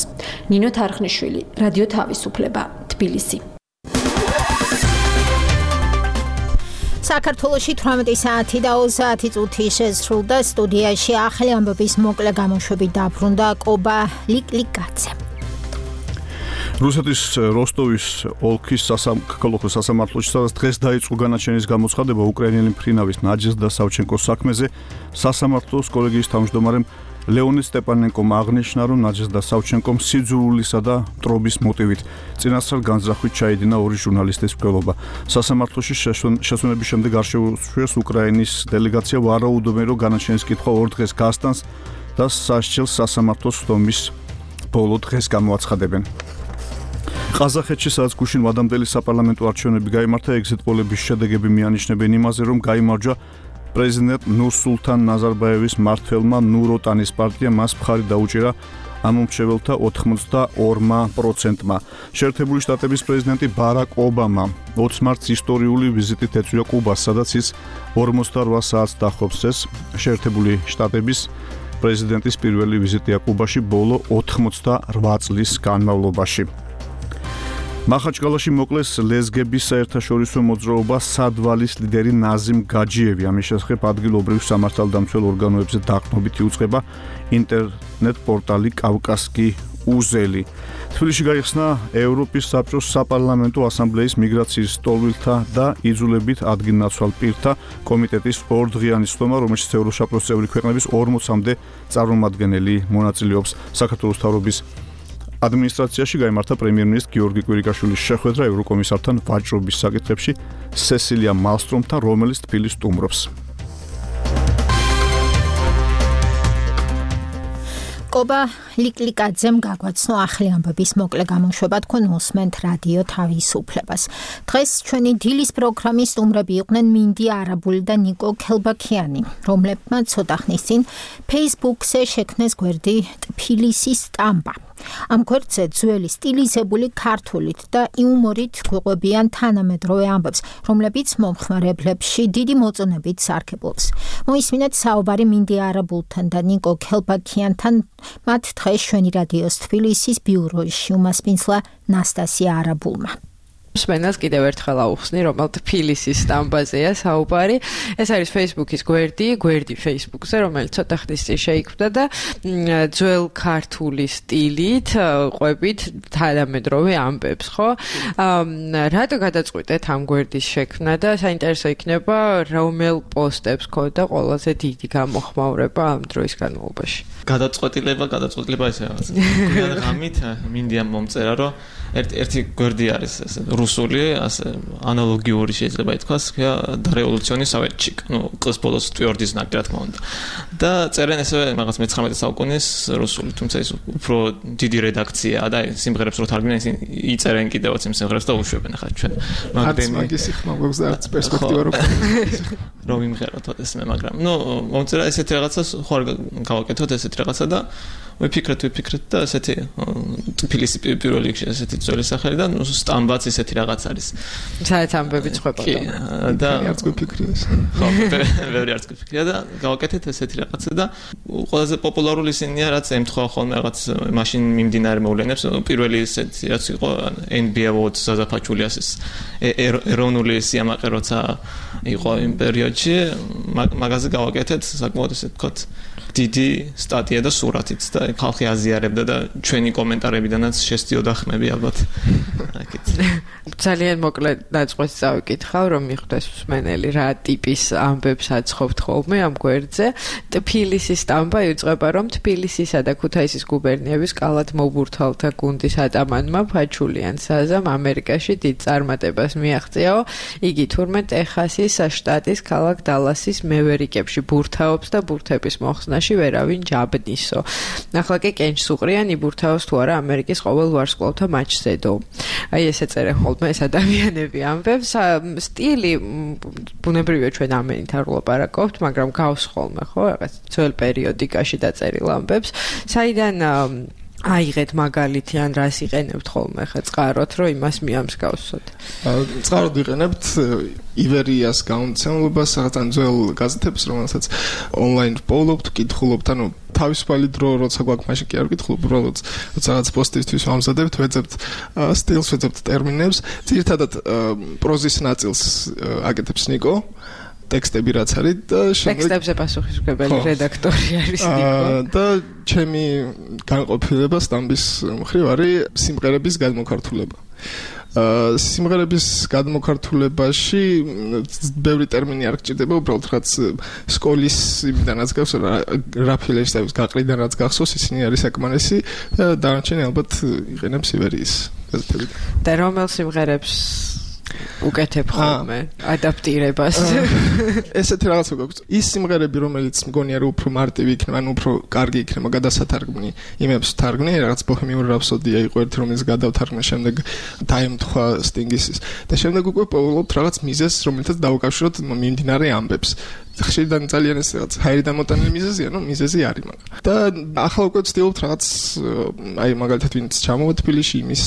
ნინო თარხნიშვილი, რადიო თავისუფლება, თბილისი. საქართველოში 18 საათი და 30 წუთი შესრულდა. სტუდიაში ახალი ამბების მოკლე გამოშვებით დაბრუნდა კობა ლიკლიკაძე. რუსეთის როსტოვის ოლქის სასამართლოში სადაც დღეს დაიწყო განაჩენის გამოცხადება უკრაინელი მფრინავის ნაჯეზდა სავჩენკოს საქმეზე, სასამართლოს კოლეგიის თავმჯდომარემ ლეონიდ სტეპანენკომ აღნიშნა, რომ ნაჯეზდა სავჩენკომ სიძულვილისა და მტრობის მოტივით წინასწარ განზრახვით ჩაიდინა ორი ჟურნალისტის მკვლელობა. სასამართლოში შესვენების შემდეგ არ შეუშვეს უკრაინის დელეგაცია ვარაუდობენ, რომ განაჩენის კითხვა 2 დღეს გასტანს და სასჯელს სასამართლოს ხდომის ბოლო დღეს გამოაცხადებენ. ყაზახეთში სადაც გუშინ ვადამდელი საპარლამენტო არჩევნები გაიმართა, ეგზიტ პოლების შედეგები მიანიშნებენ იმაზე, რომ გაიმარჯვა პრეზიდენტ ნურსულთან ნაზარბაევის მმართველმა ნუროტანის პარტიამ, მას მხარი დაუჭირა ამომრჩეველთა 82%-მა. შეერთებული შტატების პრეზიდენტი ბარაკ ობამა 20 მარტს ისტორიული ვიზიტით ეწვია კუბას, სადაც ის 48 საათს დახობს. ეს შეერთებული შტატების პრეზიდენტის პირველი ვიზიტია კუბაში ბოლო 88 წლის განმავლობაში. მახაჩკალაში მოკლეს ლეზგების საერთაშორისო მოძრაობა სადვალის ლიდერი ნაზიმ გაჯიევი. ამის შესახებ ადგილობრივ სამართალდამცველ ორგანოებზე დაყრდნობით იუწყება ინტერნეტ პორტალი კავკასკი უზელი. თბილისში გაიხსნა ევროპის საბჭოს საპარლამენტო ასამბლეის მიგრაციის სტოლვილთა და იძულებით ადგილნაცვალ პირთა კომიტეტის ორდღიანი სხდომა, რომელშიც ევროსაბჭოს წევრი ქვეყნების 40-მდე წარმომადგენელი მონაწილეობს. საქართველოს მთავრობის ადმინისტრაციაში გაიმართა პრემიერ-მინისტრ გიორგი კვირიკაშვილის შეხვედრა ევროკომისართან ვაჭრობის საკითხებში სესილია მალსტრომთან, რომელიც თბილისს სტუმრობს. კობა ლიკლიკაძემ გაგვაცნო ახალი ამბების მოკლე გამოშვება, თქვენ მოსმენთ რადიო თავისუფლებას. დღეს ჩვენი დილის პროგრამის სტუმრები იყვნენ მინდი არაბული და ნიკო ქელბაქიანი, რომლებმაც ცოტა ხნის წინ Facebook-ზე შექმნეს გვერდი ტფილისის სტამბა. ამ გვერდზე ძველი სტილიზებული ქართულით და იუმორით გვიყვებიან თანამედროვე ამბებს, რომლებიც მომხმარებლებში დიდი მოწონებით სარგებლობს. მოისმინეთ საუბარი მინდი არაბულთან და ნიკო ქელბაქიანთან, მათ დღეს ჩვენი რადიოს თბილისის ბიუროში უმასპინძლა ნასტასია არაბულმა. მსმენელს კიდევ ერთხელ აუხსნი, რომ თბილისის სტამბაზეა საუბარი. ეს არის Facebook-ის გვერდი Facebook-ზე, რომელიც ცოტა ხნის წინ შეიქმნა და ძველ ქართული სტილით ყვებით თანამედროვე ამბებს, ხო? რატო გადაწყვიტეთ ამ გვერდის შექმნა და საინტერესო იქნება, რომელ პოსტებს ქონდა ყველაზე დიდი გამოხმაურება ამ დროის განმავლობაში? გადაწყვეტილება ესე რაღაც. გვიან ღამით მინდია მომწერა, რომ ერთი გვერდი არის ეს რუსული, ასე ანალოგიური შეიძლება ითქვას, და რევოლუციონი სავეთჩიკ, ყის ბოლოს ტვიორდის ნაკი რა თქმა უნდა. და წერენ ესე რაღაც მე-19 საუკუნის რუსული, თუმცა ის უფრო დიდი რედაქციაა და სიმღერებს რო თარგმნენ, ისინი იწერენ კიდევაც იმ სიმღერებს და უშვებენ ახლა ჩვენ. მაგის ხმაურს და არც პერსპექტივა რომ იმღეროთ ესმე, მაგრამ მომწერა ესეთი რაღაცას ხوار გავაკეთოთ ესეთი რაღაცა და ვიფიქრეთ და ესეთი თბილისი პირველ რიგში ესეთი ძველი სახელი და სტამბაც ესეთი რაღაც არის. საერთოდ ამბები წვება და არც გვიფიქრია ეს. ხო, ბევრი არც გვიფიქრია და გავაკეთეთ ესეთი რაღაცა და ყველაზე პოპულარული ისინია, რაც ემთხვევა ხოლმე რაღაც მაშინ მიმდინარე მოვლენებს. პირველი ესეთი რაც იყო NBA Awards საზაფაჩულიას ეს ეროვნული სიამაყე როცა იყო იმ პერიოდში, მაგაზე გავაკეთეთ საკმაოდ ესე ვთქვათ დიდი სტატია და სურათიც და ხალხი აზიარებდა და ჩვენი კომენტარებიდანაც შესდიოდა ხმები ალბათ. ძალიან მოკლე დაწყვეტს წავიკითხავ, რომ მიხვდეს მსმენელი რა ტიპის ამბებს აცხობთ ხოლმე ამ გვერდზე. თბილისის სტამბა იწყება, რომ თბილისისა და ქუთაისის გუბერნიების კალათ მობურთალთა გუნდის ატამანმა ფაჩულიან საზამ ამერიკაში დიდ წარმატებას მიაღწიაო. იგი თურმე ტეხასის შტატის ქალაქ დალასის მევერიკებში ბურთაობს და ბურთების მოხსნაში ვერავინ ჯაბნისო. ახლა კი კენჭს უყრიან იბურთაოს თუ არა ამერიკის ყოველ ვარსკვლავთა მატჩზედო. აი ესე წერენ ხოლმე ეს ადამიანები ამბებს. სტილი ბუნებრივია ჩვენ ამენით არ ვლაპარაკობთ, მაგრამ გავს ხოლმე ხო რაღაც ძველ პერიოდიკაში დაწერილ ამბებს. საიდან აიღეთ მაგალითი ან რას იყენებთ ხოლმე ხა წყაროთ, რომ იმას მიამსგავსოთ. წყაროდ ვიყენებთ ივერიას გამომცემლობას, რაღაც ან ძველ გაზეთებს, რომელსაც ონლაინ პოულობთ, კითხულობთ, ანუ თავისუფალი დრო როცა გვაქვს, მაშინ კი არ ვკითხულობ, უბრალოდ როცა რაღაც პოსტისთვის ვამზადებთ, ვეძებთ სტილს, ვეძებთ ტერმინებს. ძირითადად პროზის ნაწილს აკეთებს ნიკო. ტექსტები რაც არის და ტექსტებზე პასუხისმგებელი რედაქტორი არის ნიკო. და ჩემი განყოფილება სტამბის მხრივ არის სიმღერების გადმოქართულება. სიმღერების გადმოქართულებაში ბევრი ტერმინი არ გჭირდება, უბრალოდ რაც სკოლის იმიდანაც გახსოვს, რა ფილეშტების გაყრიდან რაც გახსოვს, ისინი არის საკმარისი და დანარჩენი ალბათ იყენებს ივერიის გაზეთებიდან. და რომელ სიმღერებს უკეთებ ხოლმე ადაპტირებას. ესეთი რაღაცა გვაქვს. ის სიმღერები, რომელიც მგონია რომ უფრო მარტივი იქნება, ანუ უფრო კარგი იქნება გადასათარგმნი, იმებს ვთარგმნი, რაღაც ბოჰემიური რაფსოდია იყო ერთი, რომელიც გადავთარგმნე, შემდეგ დაემთხვა სტინგისის და შემდეგ უკვე პოულობთ რაღაც მიზეზს, რომელთაც დავუკავშიროთ მიმდინარე ამბებს. ხშირად ძალიან ეს რაღაც ჰაერი დამოტანილი მიზეზია, ნუ მიზეზი არის მაგრამ. და ახლა უკვე ვცდილობთ რაღაც აი მაგალითად ვინც ჩამოვა თბილისში იმის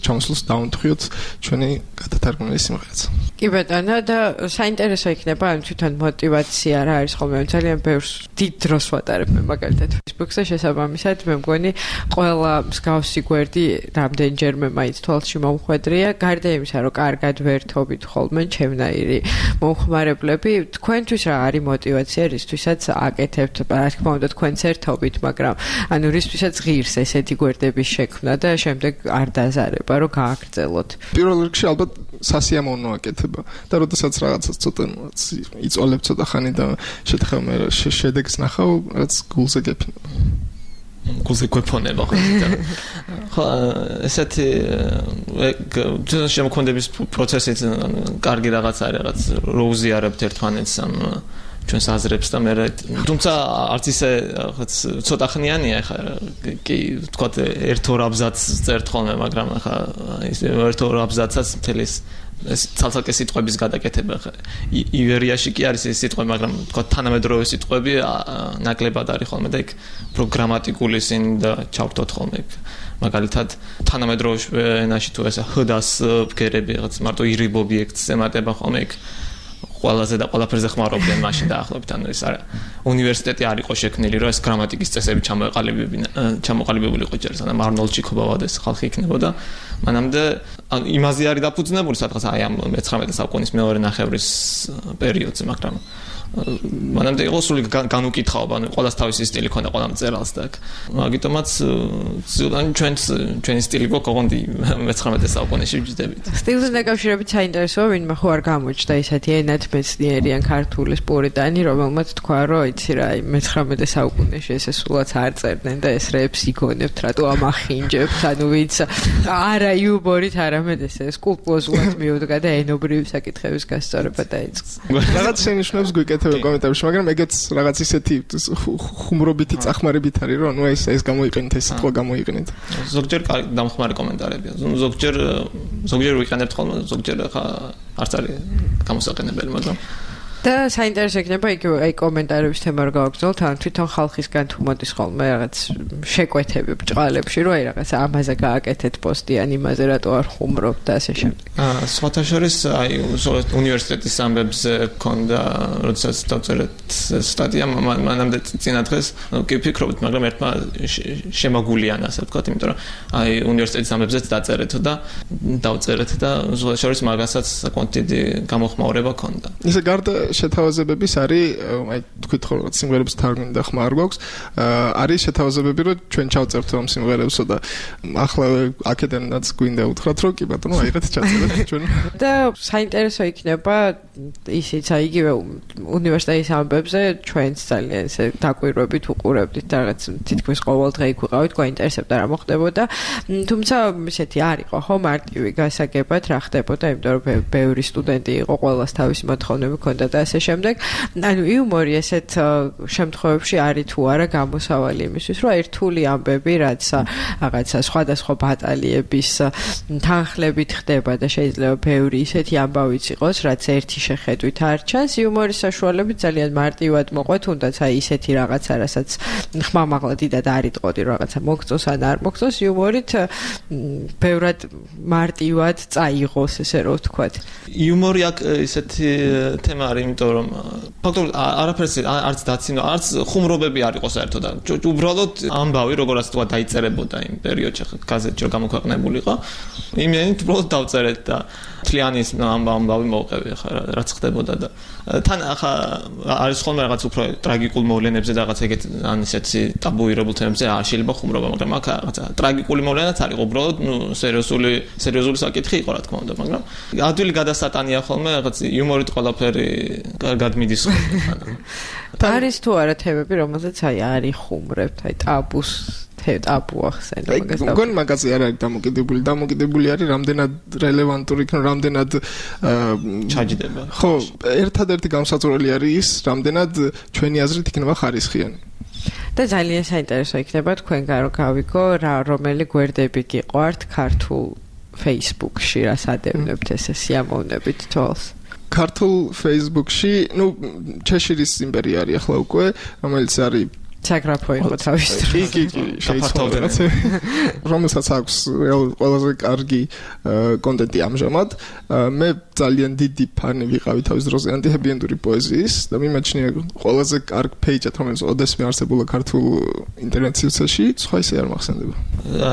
ჩამოსვლას დავუნთხიოთ ჩვენი გადათარგმნილი სიმღერაც. კი ბატონო და საინტერესო იქნება ამ თვითონ мотиваცია რა არის ხოლმე ძალიან ბევრს დიდ დროს ვატარებ მე მაგალითად Facebook-ზე შესაბამისად მე მგონი ყველა მსგავსი გვერდი რამდენჯერმე მაინც თვალში მომხვედრია გარდა იმისა რომ კარგად ვერთობით ხოლმე ჩემნაირი მომხმარებლები თქვენთვის რა არის мотиваცია რისთვისაც აკეთებთ რა თქმა უნდა თქვენც ერთობით მაგრამ ანუ რისთვისაც ღირს ესეთი გვერდების შექმნა და შემდეგ არ დაზარება რომ გააგრძელოთ პირველ რიგში ალბათ სასიამოვნო აკეთება და როდესაც რაღაცას ცოტა იწოლებ ცოტა ხანი და შეთხევ მე შედეგს ნახავ რაც გულზე გეფინება გულზე გვეფონება ხო ესეთი ძველი შემოქმედების პროცესით კარგი რაღაც არის რაღაც რო უზიარებთ ერთმანეთს ამ ჩვენს აზრებს და მე თუმცა არც ისე ცოტა ხნიანია ხა კი თქვა ერთ-ორ აბზაცს წერთ ხოლმე მაგრამ ხა ის ერთ-ორ აბზაცსაც მთელი ეს ცალ-ცალკე სიტყვების გადაკეთება ხა ივერიაში კი არის ეს სიტყვები მაგრამ თქვა თანამედროვე სიტყვები ნაკლებად არის ხოლმე და იქ პროგრამატიკული სინ და ჩავთოთ ხოლმე მაგალითად თანამედროვე ენაში თუ ეს ჰ-დას ბგერები რაღაც მარტო ირიბ ობიექტს ემატება ხოლმე იქ ყველაზე და ყველაფერზე ხმარობდნენ მაშინ დაახლოებით ანუ ეს არა უნივერსიტეტი არ იყო შექმნილი რომ ეს გრამატიკის წესები ჩამოყალიბებული იყო ჯერ სანამ არნოლდ ჩიქობავადეს ხალხი იქნებოდა მანამდე იმაზე არის დაფუძნებული სადღაც აი ამ 19 საუკუნის მეორე ნახევრის პერიოდზე მაგრამ მანამდე იყო სული განუკითხაობა ანუ ყველას თავისი სტილი ქონდა ყველა მწერალს და მაგიტომაც ჩვენი სტილი გქონდა 19 საუკუნეში ვჯდებით სტილზე დაკავშირებით საინტერესოა ვინმე ხო არ გამოჩნდა ისეთი ენათმეცნიერი ან ქართულის პურიტანი რომელმაც თქვა რომ იცი რა 19 საუკუნეში ესე სულაც არ წერდნენ და ეს რეებს იგონებთ რატო ამახინჯებთ ანუ ვიც არა იუბორით არამედ ესე სკულპტურულად მიუდგა და ენობრივი საკითხების გასწორება დაიწყო რაღაც შენიშვნებს გვიკეთებ კომენტარებში, მაგრამ ეგეც რაღაც ისეთი ხუმრობითი წახმარებით არის, რომ ანუ ეს გამოიყენეთ, ეს სიტყვა გამოიყენეთ. ზოგჯერ დამხმარე კომენტარებია. ზოგჯერ ვიყენებთ ხოლმე, ზოგჯერ ხა არც არის გამოსაყენებელი, მაგრამ და საინტერესო იქნება იგივე აი კომენტარების თემა რო გავაგრძელოთ, ან თვითონ ხალხისგან თუ მოდის ხოლმე რაღაც შეკვეთები ბჭყალებში, რომ აი რაღაც ამაზე გააკეთეთ პოსტი ან იმაზე რატო არ ხუმრობთ და ასე შემდეგ. სხვათა შორის აი უნივერსიტეტის ამბებზე ქონდა, როდესაც დავწერეთ სტატია მანამდე წინა დღეს, კი ვფიქრობთ, მაგრამ ერთმა შემაგულიან ასე ვთქვათ, იმიტომ რომ აი უნივერსიტეტის ამბებზეც დაწერეთ და დავწერეთ და სხვათა შორის მაგასაც საკმაოდ დიდი გამოხმაურება ქონდა. ისე გარდა შეთავაზებების არის, აი თქვით ხო რაღაც სიმღერებს თარგმნი და ხმა არ გვაქვს, არის შეთავაზებები, რომ ჩვენ ჩავწერთ ამ სიმღერებსო და ახლა აქედანაც გვინდა უთხრათ, რომ კი ბატონო, აიღეთ ჩაწერეთ ჩვენ. და საინტერესო იქნება ისიც აი იგივე უნივერსიტეტის ამბებზე ჩვენც ძალიან ესე დაკვირვებით უყურებდით და რაღაც თითქმის ყოველ დღე იქ ვიყავით, გვაინტერესებდა რა მოხდებოდა. თუმცა ისეთი არ იყო ხო მარტივი გასაგებად რა ხდებოდა, იმიტომ რომ ბევრი სტუდენტი იყო, ყველას თავისი მოთხოვნები ჰქონდა და ასე შემდეგ. ანუ იუმორი ესეთ შემთხვევებში არის თუ არა გამოსავალი იმისთვის, რომ ერთული ამბები, რაც რაღაცა სხვადასხვა ბატალიების თანხლებით ხდება და შეიძლება ბევრი ისეთი ამბავიც იყოს, რაც ერთი შეხედვით არ ჩანს, იუმორის საშუალებით ძალიან მარტივად მოყვეთ, თუნდაც აი ისეთი რაღაცა, რასაც ხმამაღლა დიდად არ იტყოდი, რაღაცა მოგწოს ან არ მოგწოს, იუმორით ბევრად მარტივად წაიღოს, ესე რომ ვთქვათ. იუმორი აქ ისეთი თემა არის, იმიტომ რომ ფაქტობრივად არაფერს არც დაცინო, არც ხუმრობები არ იყო საერთოდ. უბრალოდ ამბავი, როგორაც თქვა, დაიწერებოდა იმ პერიოდში, გაზეთში რომ გამოქვეყნებულიყო. იმენით უბრალოდ დავწერეთ და თლიანის ამბავი მოვყევი ხა რაც ხდებოდა და თან ახლა არის ხოლმე რაღაც უფრო ტრაგიკულ მოვლენებზე და რაღაც ეგეთ ან ისეთი ტაბუირებულ თემებზე შეიძლება ხუმრობა, მაგრამ აქ რაღაცა ტრაგიკული მოვლენაც არის, უბრალოდ სერიოზული საკითხი იყო რა თქმა უნდა, მაგრამ ადვილი გადასატანია ხოლმე რაღაც იუმორით ყველაფერი კარგად მიდის ხოლმე. არის თუ არა თემები, რომელზეც აი არის ხუმრებთ, აი ტაბუს ტაბუ ახსენე მაგას. მგონი მაგაზე არ არის დამოკიდებული არის რამდენად რელევანტური იქნება, რამდენად ჩაჯდება. ხო, ერთადერთი გამსაწვრელი არის ის, რამდენად ჩვენი აზრით იქნება ხარისხიანი. და ძალიან საინტერესო იქნება თქვენგან რომ გავიგო რა რომელი გვერდები გიყვართ ქართულ Facebook-ში, რას ადევნებთ ესე სიამოვნებით თვალს. ქართულ Facebook-ში, ну, ჩეშირის იმპერია არის ახლა უკვე, რომელიც არის საგრაფო იყო თავის დროს. კი, შეიძლება რაღაცა. რომელსაც აქვს ყველაზე კარგი კონტენტი ამჟამად. მე ძალიან დიდი ფანი ვიყავი თავის დროზე ანტიჰეპი-ენდური პოეზიის და მიმაჩნია ყველაზე კარგ პეიჯად, რომელიც ოდესმე არსებულა ქართულ ინტერნეტ სივრცეში, სხვა ისე არ მახსენდება.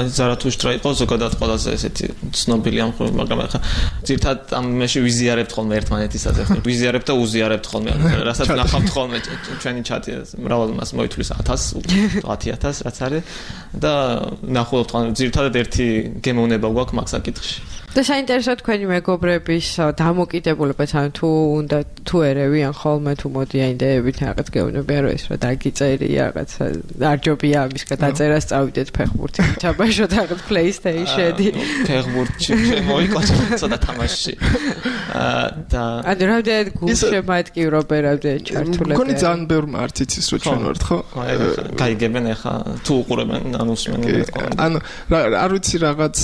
ზარათუშტრა იყო ზოგადად ყველაზე ესეთი ცნობილი ამ ხოლმე, მაგრამ ახლა ძირთად ამ მეში ვიზიარებთ ხოლმე ერთმანეთისაც, ვიზიარებთ და უზიარებთ ხოლმე, რასაც ნახავთ ხოლმე ჩვენი ჩატი მრავალ მას მოითვლის 1000 რაც არის და ნახულობთ ხოლმე ძირთადად ერთი გემოვნება გვაქვს მაგ საკითხში. და საინტერესო თქვენი მეგობრების დამოკიდებულებაც, ანუ თუ ერევიან ხოლმე, თუ მოდიან იდეებით რაღაც გეუბნებიან, რომ ეს რა დაგიწერია, რაღაც არ ჯობია ამის გადაწერას წავიდეთ ფეხბურთი, ჩაბაშოთ რაღაც PlayStation-ი. ფეხბურთში შემოიყვანოთ ცოტა თამაშში. და ანუ რამდენად გულშემატკივრობენ, რამდენად ჩართულები. მგონი ძალიან ბევრმა არც იცის რომ ჩვენ ვართ, ხო? გაიგებენ ახლა თუ უყურებენ, ანუ უსმენენ. ანუ არ ვიცი რაღაც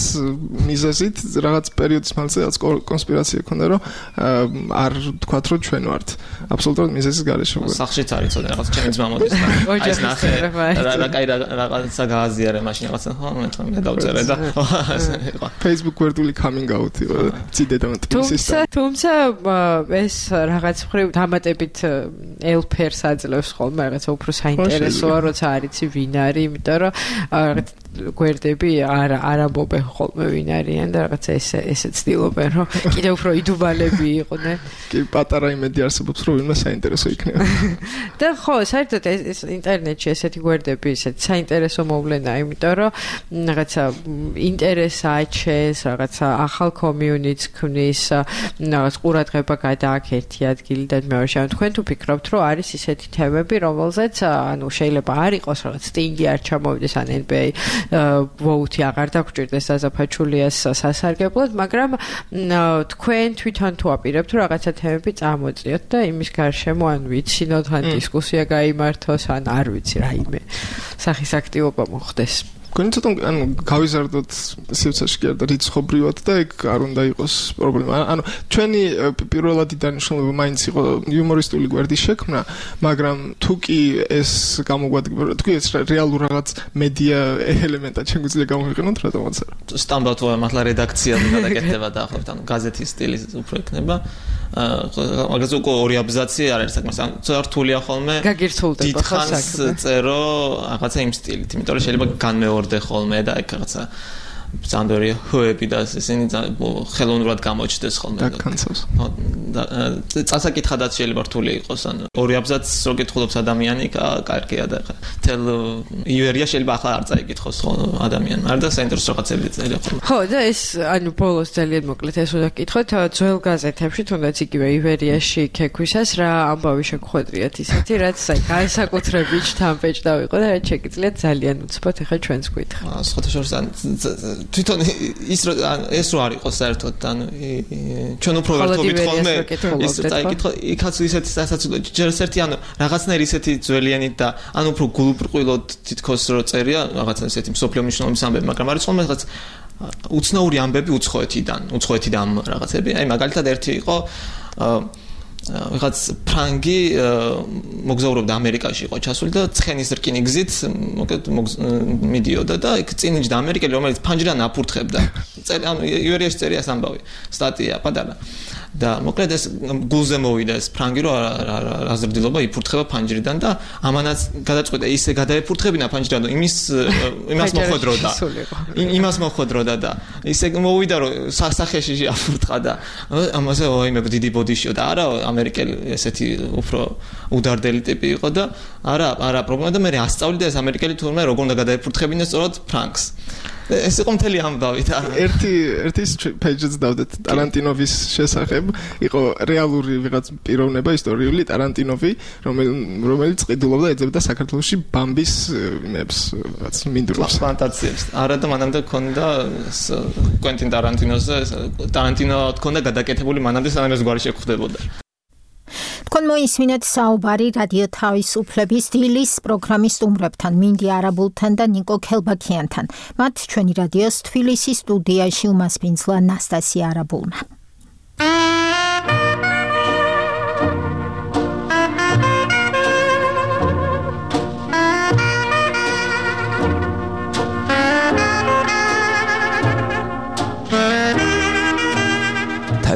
მიზეზით რაღაც პერიოდის მანძილზე რაც კონსპირაცია ქონდა რომ არ თქვათ რომ ჩვენ ვართ აბსოლუტურად მიზეზის გარეშე. სახშიც არის ცოტა რაღაც ჩემი ძმა მოდის და ეს ნახე რა კაი რაღაცა გააზიარე მაშინ რაღაცა ხო მე დავწერე და Facebook ვერტული coming out იყო ციდე და მტკიცის. თუმცა ეს რაღაც მხრივ დამატებით ელფერს აძლევს ხოლმე რაღაცა უფრო საინტერესოა როცა არიცი ვინ არის, იმიტომ რომ რაღაც გვერდები არ ამბობენ ხოლმე ვინ არიან და რაღაცა ესე ცდილობენ რომ კიდევ უფრო იდუბალები იყვნენ. კი, პატარა იმედი არსებობს რომ ვინმე საინტერესო იქნება. და ხო, საერთოდ ეს ინტერნეტში ესეთი გვერდები ესეთი საინტერესო მოვლენაა, იმიტომ რომ რაღაცა ინტერესს აჩენს, რაღაცა ახალ კომიუნიტს ქმნის, რაღაც ყურადღება გადააქვს ერთი ადგილიდან მეორეში. ანუ თქვენ თუ ფიქრობთ რომ არის ისეთი თემები, რომელზეც ანუ შეიძლება არ იყოს რაღაც სტინგი არ ჩამოვიდეს ან NBA ვოუთი აღარ დაგჭირდეს საზაფაჩულიას სასარგებლოდ, მაგრამ თქვენ თვითონ თუ აპირებთ რომ რაღაცა თემები წამოწიოთ და იმის გარშემო ან ვიცინოთ, ან დისკუსია გაიმართოს, ან არ ვიცი რაიმე სახის აქტივობა მოხდეს. გონი ცოტა ანუ გავიზარდოთ სივრცეში და რიცხობრივად და ეგ არ უნდა იყოს პრობლემა. ანუ ჩვენი პირველადი დანიშნულება მაინც იყო იუმორისტული გვერდის შექმნა, მაგრამ თუ კი ეს გამოგვადგება, თუ კი ეს რეალურ რაღაც მედია ელემენტად შეგვიძლია გამოვიყენოთ, რატომაც არა. სტანდარტ მართლა რედაქცია გადაკეთდება დაახლოებით, ანუ გაზეთის სტილი უფრო იქნება. მაგაზე უკვე ორი აბზაცი არ არის საკმაოდ. ანუ წართულია ხოლმე. გაგირცულდება ხო საქმე. წერო რაღაცა იმ სტილით, იმიტომ რომ შეიძლება განმეორდე ხოლმე და ეგ რაღაცა ზანდორი ჰოები და ისინი ხელოვნურად გამოჩნდეს ხოლმე. წასაკითხადაც შეიძლება რთული იყოს, ანუ ორი აბზაცს რო კითხულობს ადამიანი, კარგია და თელ ივერია შეიძლება ახლა არ წაიკითხოს ადამიანმა. არ და საინტერესო რაღაცები წერია ხოლმე. ხო, და ეს ანუ ბოლოს ძალიან მოკლედ ეს უნდა გკითხოთ, ძველ გაზეთებში თუნდაც იგივე ივერიაში ქექვისას რა ამბავი შეგხვედრიათ ისეთი, რაც აი განსაკუთრებით შთამბეჭდა ვიყო და რაც შეგიძლიათ ძალიან უცბად ახლა ჩვენს გითხრა. სხვათა შორის თვითონ ეს რო არ იყოს საერთოდ ანუ ჩვენ უფრო ვერთობით ხოლმე ის წაიკითხო იქაც ისეთი სასაცილო ჯერ ერთი ანუ რაღაცნაირი ისეთი ძველიანით და ანუ უფრო გულუბრყვილოდ თითქოს რო წერია რაღაცა ისეთი მსოფლიო მნიშვნელობის ამბები მაგრამ არის ხოლმე რაღაც უცნაური ამბები უცხოეთიდან რაღაცები აი მაგალითად ერთი იყო ვიღაც ფრანგი მოგზაურობდა ამერიკაში იყო ჩასული და ცხენის რკინი გზით მოკლედ მიდიოდა და იქ წინიჭდა ამერიკელი რომელიც ფანჯრიდან აფურთხებდა ანუ ივერიაში წერია ეს ამბავი სტატია პატარა და მოკლედ ეს გულზე მოვიდა ეს ფრანგი რომ აზრდილობა იფურთხება ფანჯრიდან და ამანაც გადაწყვიტა ისე გადაეფურთხებინა ფანჯრიდან რომ იმას მოხვედროდა და ისე მოვიდა რომ სახეში აფურთხა და ამაზე ვაიმე დიდი ბოდიშიო და არა ამერიკელი ესეთი უფრო უდარდელი ტიპი იყო და არა პრობლემა და მე ასწავლიდა ეს ამერიკელი თურმე როგორ უნდა გადაეფურთხებინა სწორად ფრანკს ეს იყო მთელი ამბავი და ერთი პეიჯიც დავდეთ ტარანტინოვის შესახებ იყო რეალური ვიღაც პიროვნება ისტორიული ტარანტინოვი რომელიც ყიდულობდა ეძებდა საქართველოში ბამბის იმებს რაც მინდვრებს ფანტაზიებს არა და მანამდე ქონდა კვენტინ ტარანტინო ქონდა გადაკეთებული მანამდე სანამ ეს გვარი შეხვდებოდა თქვენ მოისმინეთ საუბარი რადიო თავისუფლების დილის პროგრამის სტუმრებთან მინდი არაბულთან და ნიკო ქელბაქიანთან მათ ჩვენი რადიოს თბილისის სტუდიაში უმასპინძლა ნასტასია არაბულმა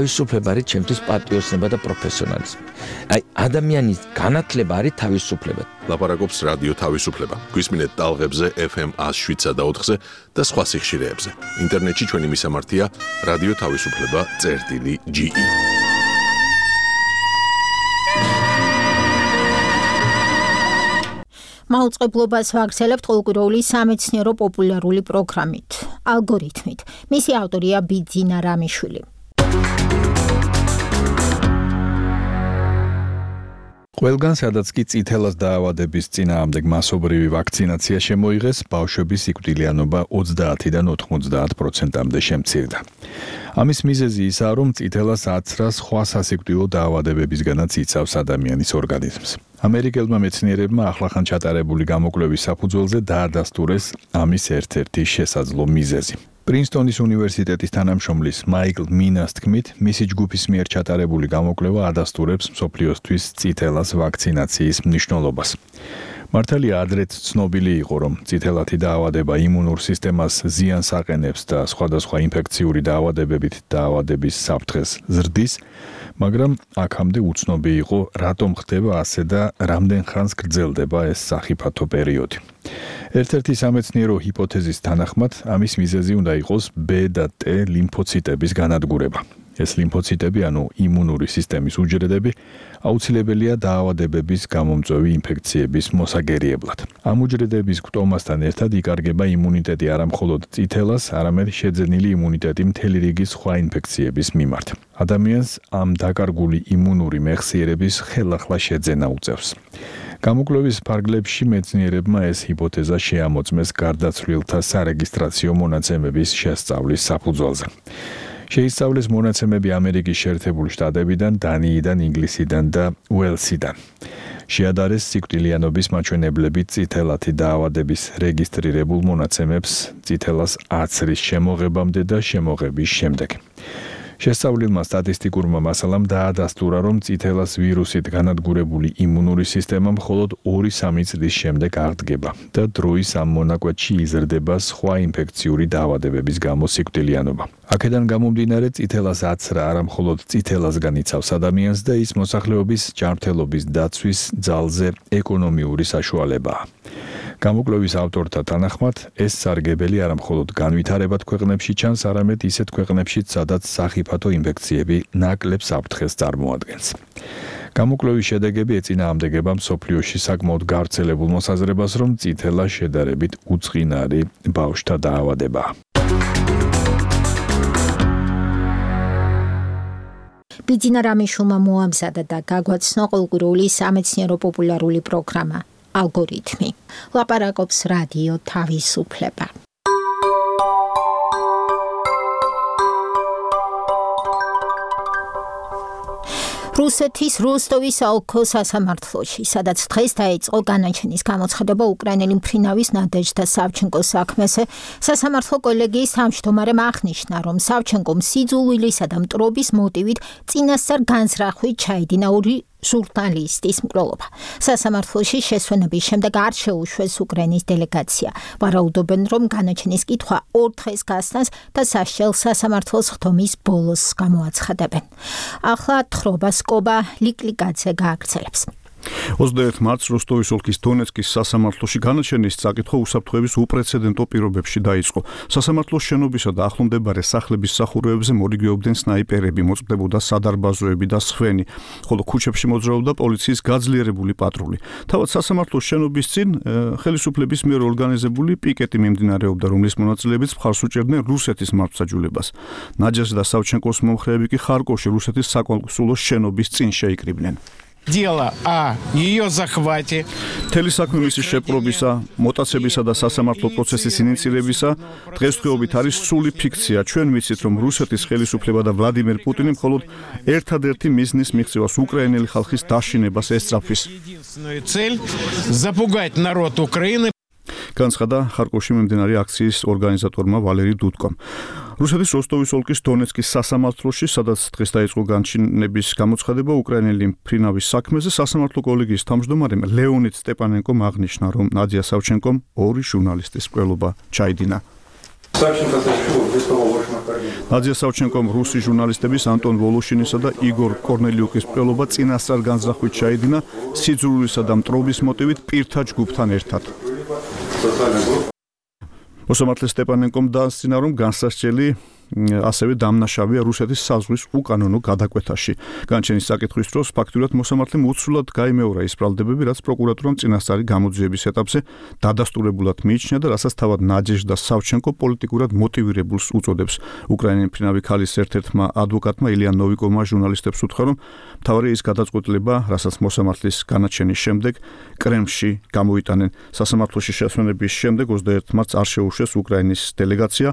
თავისუფლება არის ჩემთვის პატრიოტიზმი და პროფესიონალიზმი. აი ადამიანის განათლება არის თავისუფლება. ლაპარაკობს რადიო თავისუფლება. გვისმინეთ ტალღებზე FM 107.4-ზე და სხვა სიხშირეებზე. ინტერნეტში ჩვენი მისამართია რადიო თავისუფლება.ge. მაუწყებლობას ვაგრძელებთ ყოველკვირეული სამეცნიერო პოპულარული პროგრამით, ალგორითმით. მისი ავტორია ბიძინა რამიშვილი. ყველგან სადაც კი წითელას დაავადების წინააღმდეგ მასობრივი ვაქცინაცია შემოიღეს, ბავშვების სიკვდილიანობა 30-დან 90%-მდე შემცირდა. ამის მიზეზი ისაა, რომ წითელას აცრას სხვა სასიკვდილო დაავადებებისგანაც იცავს ადამიანის ორგანიზმს. ამერიკელმა მეცნიერებმა ახლახან ჩატარებული გამოკვლევის საფუძველზე დაადასტურეს ამის ერთ-ერთი შესაძლო მიზეზი. პრინსტონის უნივერსიტეტის თანამშრომლის მაიკლ მინას თქმით, მისი ჯგუფის მიერ ჩატარებული გამოკვლევა ადასტურებს მსოფლიოსთვის წითელას ვაქცინაციის მნიშვნელობას. მართალია ადრეც ცნობილი იყო, რომ წითელათი დაავადება იმუნურ სისტემას ზიანს აყენებს და სხვადასხვა ინფექციური დაავადებებით დაავადების საფრთხეს ზრდის, მაგრამ აქამდე უცნობი იყო, რატომ ხდება ასე და რამდენ ხანს გრძელდება ეს სახიფათო პერიოდი. ერთ-ერთი სამეცნიერო ჰიპოთეზის თანახმად, ამის მიზეზი უნდა იყოს B და T ლიმფოციტების განადგურება. ეს ლიმფოციტები, ანუ იმუნური სისტემის უჯრედები, აუცილებელია დაავადებების გამომწვევი ინფექციების მოსაგერიებლად. ამ უჯრედების გვტომასთან ერთად იკარგება იმუნიტეტი არა მხოლოდ წითელას, არამედ შეძენილი იმუნიტეტი მთელი რიგი სხვა ინფექციების მიმართ. ადამიანს ამ დაკარგული იმუნური მეხსიერების ხელახლა შეძენა უწევს. გამოკვლევის ფარგლებში მეცნიერებმა ეს ჰიპოთეზა შეამოწმეს გარდაცვლილთა სარეგისტრაციო მონაცემების შესწავლის საფუძველზე. შეისწავლეს მონაცემები ამერიკის შეერთებული შტატებიდან, დანიიდან, ინგლისიდან და უელსიდან. შეადარეს სიკვდილიანობის მაჩვენებლები წითელათი დაავადების რეგისტრირებულ მონაცემებს წითელას აცრის შემოღებამდე და შემოღების შემდეგ. შესწავლილმა სტატისტიკურმა მასალამ დაადასტურა, რომ წითელას ვირუსით განადგურებული იმუნური სისტემა მხოლოდ 2-3 წლის შემდეგ აღდგება და დროის ამ მონაკვეთში იზრდება სხვა ინფექციური დაავადებების გამო სიკვდილიანობა. აქედან გამომდინარე, წითელას აცრა არა მხოლოდ წითელასგან იცავს ადამიანს და ის მოსახლეობის ჯანმრთელობის დაცვის ძალზე ეკონომიური საშუალებაა. გამოკვლევის ავტორთა თანახმად, ეს სარგებელი არა მხოლოდ განვითარებად ქვეყნებში ჩანს, არამედ ისეთ ქვეყნებშიც, სადაც სახიფათო ინფექციები ნაკლებ საფრთხეს წარმოადგენს. გამოკვლევის შედეგები ეწინააღმდეგება მსოფლიოში საკმაოდ გავრცელებულ მოსაზრებას, რომ წითელა შედარებით უწყინარი ბავშვთა დაავადებაა. ბიძინა რამიშულმა მოამზადა და გაგვაცნო ყოველკვირეული სამეცნიერო პოპულარული პროგრამა ალგორითმი. ლაპარაკობს რადიო თავისუფლება. რუსეთის როსტოვის ოლქის სასამართლოში, სადაც დღეს დაიწყო განაჩენის გამოცხადება უკრაინელი მფრინავის ნადეჟდა სავჩენკოს საქმეზე, სასამართლო კოლეგიის თავმჯდომარემ აღნიშნა, რომ სავჩენკომ სიძულვილისა და მტრობის მოტივით წინასწარ განზრახვით ჩაიდინა ორი ჟურნალისტის მკვლელობა. სასამართლოში შესვენების შემდეგ არ შეუშვეს უკრაინის დელეგაცია. ვარაუდობენ, რომ განაჩენის კითხვა 2 დღეს გასცეს და სასჯელს სასამართლოს ხდომის ბოლოს გამოაცხადებენ. ახლა თხრობას კობა ლიკლიკაძე გააგრძელებს. 21 მარტს როსტოვის ოლქის დონეცკის სასამართლოში განაჩენის წაკითხვა უსაფრთხოების უპრეცედენტო პირობებში დაიწყო. სასამართლოს შენობისა და ახლომდებარე სახლების სახურავებზე მორიგეობდნენ სნაიპერები, მოწყდებოდა სადარბაზოები და სხვენი, ხოლო ქუჩებში მოძრაობდა პოლიციის გაძლიერებული პატრული. თავად სასამართლოს შენობის წინ ხელისუფლების მიერ ორგანიზებული პიკეტი მიმდინარეობდა, რომლის მონაწილეებიც მხარს უჭერდნენ რუსეთის მართლმსაჯულებას. ნაჯაზდა სავჩენკოს მომხრეები კი ხარკოვში რუსეთის საკონსულოს შენობის წინ შეიკრიბნენ. Дело о ее захвате. Მთელი საქმე მისი შეპყრობისა, მოტაცებისა და სასამართლო პროცესის ინიციირებისა დღესდღეობით არის სრული ფიქცია. ჩვენ ვიცით, რომ რუსეთის ხელისუფლება და ვლადიმერ პუტინი მხოლოდ ერთადერთი მიზნის მიღწევას უკრაინელი ხალხის დაშინებას ესწრაფვის. Единственную цель запугать народ Украины. განცხადა ხარკოვში მიმდინარე აქციის ორგანიზატორმა ვალერი დუდკომ. რუსეთის როსტოვის ოლქის დონეცკის სასამართლოში, სადაც დღეს დაიწყო განჩინების გამოცხადება უკრაინელი მფრინავის საქმეზე, სასამართლო კოლეგიის თავმჯდომარემ ლეონიდ სტეპანენკომ აღნიშნა, რომ ნადია სავჩენკომ ორი ჟურნალისტის მკვლელობა ჩაიდინა. ნადია სავჩენკომ რუსი ჟურნალისტების ანტონ ვოლოშინისა და იგორ კორნელიუკის მკვლელობა წინასწარ განზრახვით ჩაიდინა სიძულვილისა და მტრობის მოტივით პირთა ჯგუფთან ერთად. მოსამართლე სტეპანენკომ დაასწინა, რომ განსასჯელი ასევე დამნაშავეა რუსეთის საზღვის უკანონო გადაკვეთაში. განჩენის საკითხვის დროს ფაქტურად მოსამართლემ უცვლად გაიმეორა ის ბრალდებები, რაც პროკურატურამ წინასწარი გამოძიების ეტაპზე დადასტურებულად მიიჩნია და რასაც თავად ნაჯეჟდა სავჩენკო პოლიტიკურად მოტივირებულს უწოდებს. უკრაინელი მფრინავი ქალის ერთ-ერთმა ადვოკატმა ილია ნოვიკოვმა ჟურნალისტებს უთხრა, რომ მთავარი ის გადაწყვეტილება, რასაც მოსამართლის განაჩენის შემდეგ კრემლში გამოიტანენ. სასამართლოში შესვენების შემდეგ 21 მარტს არ შეუშვეს უკრაინის დელეგაცია.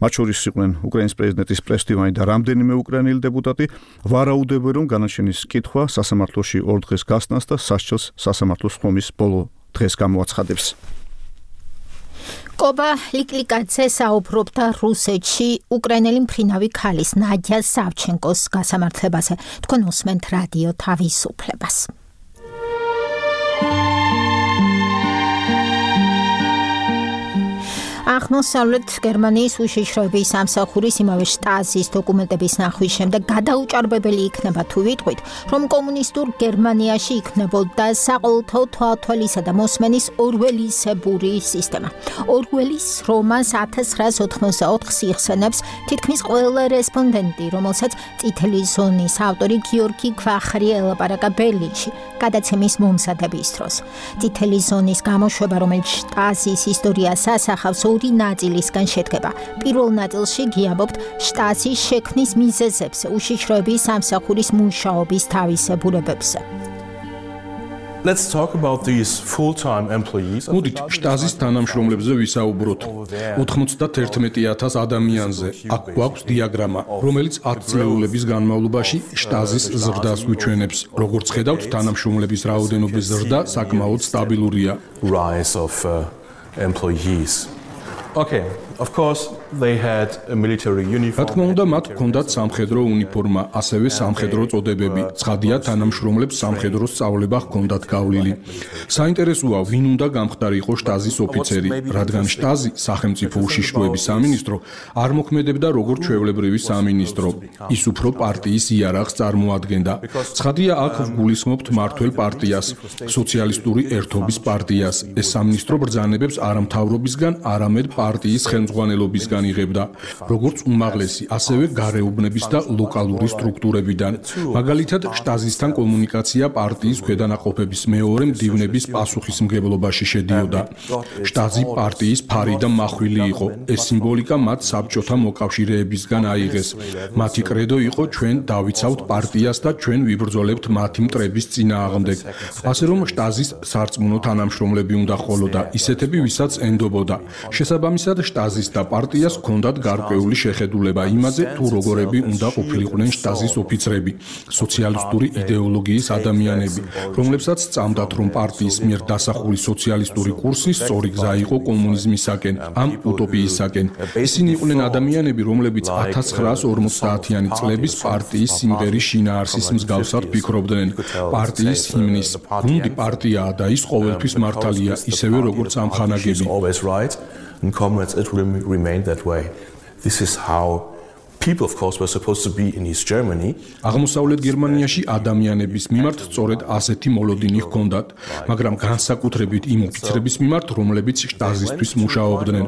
მათ შორის იყვნენ უკრაინის პრეზიდენტის პრესდივანი და რამდენიმე უკრაინელი დეპუტატი. ვარაუდობენ, რომ განაჩენის კითხვა სასამართლოში 2 დღეს გასცეს და სასჯელს სასამართლოს ხდომის ბოლო დღეს გამოაცხადებს. კობა ლიკლიკაძე საუბრობდა რუსეთში უკრაინელი მფრინავი ქალის ნადია სავჩენკოს გასამართლებაზე. თქვენ უსმენთ რადიო თავისუფლებას. აღმოსავლეთ გერმანიის უშიშროების სამსახურის იმავე შტაზის დოკუმენტების ნახვის შემდეგ გადაუჭარბებელი იქნება თუ ვიტყვით, რომ კომუნისტურ გერმანიაში იქნებოდა საყოველთაო თვალთვალისა და მოსმენის ორველისებური სისტემა. ორველის რომანს 1984 იხსენებს თითქმის ყველა რესპონდენტი, რომელსაც წითელი ზონის ავტორი გიორგი ქვახრი ელაპარაკა ბერლინში გადაცემის მომზადების დროს. წითელი ზონის გამოშვება, რომელიც შტაზის ისტორიას ასახავს, ორი ნაწილისგან შედგება. პირველ ნაწილში გიამბობთ შტაზის შექმნის მიზეზებზე, უშიშროების სამსახურის მუშაობის თავისებურებებზე. Let's talk about these full-time employees. მოდით შტაზის თანამშრომლებზე ვისაუბროთ. 91,000 ადამიანზე. აქ გვაქვს დიაგრამა, რომელიც 10 წლეულების განმავლობაში შტაზის ზრდას გვიჩვენებს. როგორც ხედავთ, თანამშრომლების რაოდენობის ზრდა საკმაოდ სტაბილურია. Rise of employees. Okay, Of course, they had a military uniform. რა თქმა უნდა, მათ ჰქონდათ სამხედრო უნიფორმა, ასევე სამხედრო წოდებები. ცხადია, თანამშრომლებს სამხედრო სწავლება ჰქონდათ გავლილი. საინტერესოა, ვინ უნდა გამხდარიყო შტაზის ოფიცერი, რადგან შტაზი, სახელმწიფო უშიშროების სამინისტრო, არ მოქმედებდა როგორც ჩვეულებრივი სამინისტრო. ის უფრო პარტიის იარაღს წარმოადგენდა. ცხადია, აქ ვგულისხმობთ მართველ პარტიას, სოციალისტური ერთობის პარტიას. ეს სამინისტრო ბრძანებებს არა მთავრობისგან, არამედ პარტიის ხელმძღვანელობისგან იღებდა, როგორც უმაღლესი, ასევე გარეუბნების და ლოკალური სტრუქტურებიდან. მაგალითად, შტაზისთან კომუნიკაცია პარტიის ქვედანაყოფების მეორე მდივნების პასუხისმგებლობაში შედიოდა. შტაზი პარტიის ფარი და მახვილი იყო. ეს სიმბოლიკა მათ საბჭოთა მოკავშირეებისგან აიღეს. მათი კრედო იყო ჩვენ დავიცავთ პარტიას და ჩვენ ვიბრძოლებთ მათი მტრების წინააღმდეგ. ასე რომ შტაზის სარწმუნო თანამშრომლები უნდა ყოლოდა, ისეთები, ვისაც ენდობოდა. შესაბამისად, შტაზის და პარტიას ჰქონდათ გარკვეული შეხედულება იმაზე, თუ როგორები უნდა ყოფილიყვნენ შტაზის ოფიცრები, სოციალისტური იდეოლოგიის ადამიანები, რომლებსაც სწამდათ, რომ პარტიის მიერ დასახული სოციალისტური კურსი სწორი გზა იყო კომუნიზმისაკენ, ამ უტოპიისაკენ. ისინი იყვნენ ადამიანები, რომლებიც 1950-იანი წლების პარტიის სიმღერის შინაარსის მსგავსად ფიქრობდნენ. პარტიის ჰიმნის გუნდი პარტიაა და ის ყოველთვის მართალია, ისევე როგორც ამხანაგები. And comrades, it will remain that way. This is how people, of course, were supposed to be in East Germany. აღმოსავლეთ გერმანიაში ადამიანების მიმართ სწორედ ასეთი მოლოდინი ჰქონდათ, მაგრამ განსაკუთრებით იმ ოფიცრების მიმართ, რომლებიც შტაზისთვის მუშაობდნენ.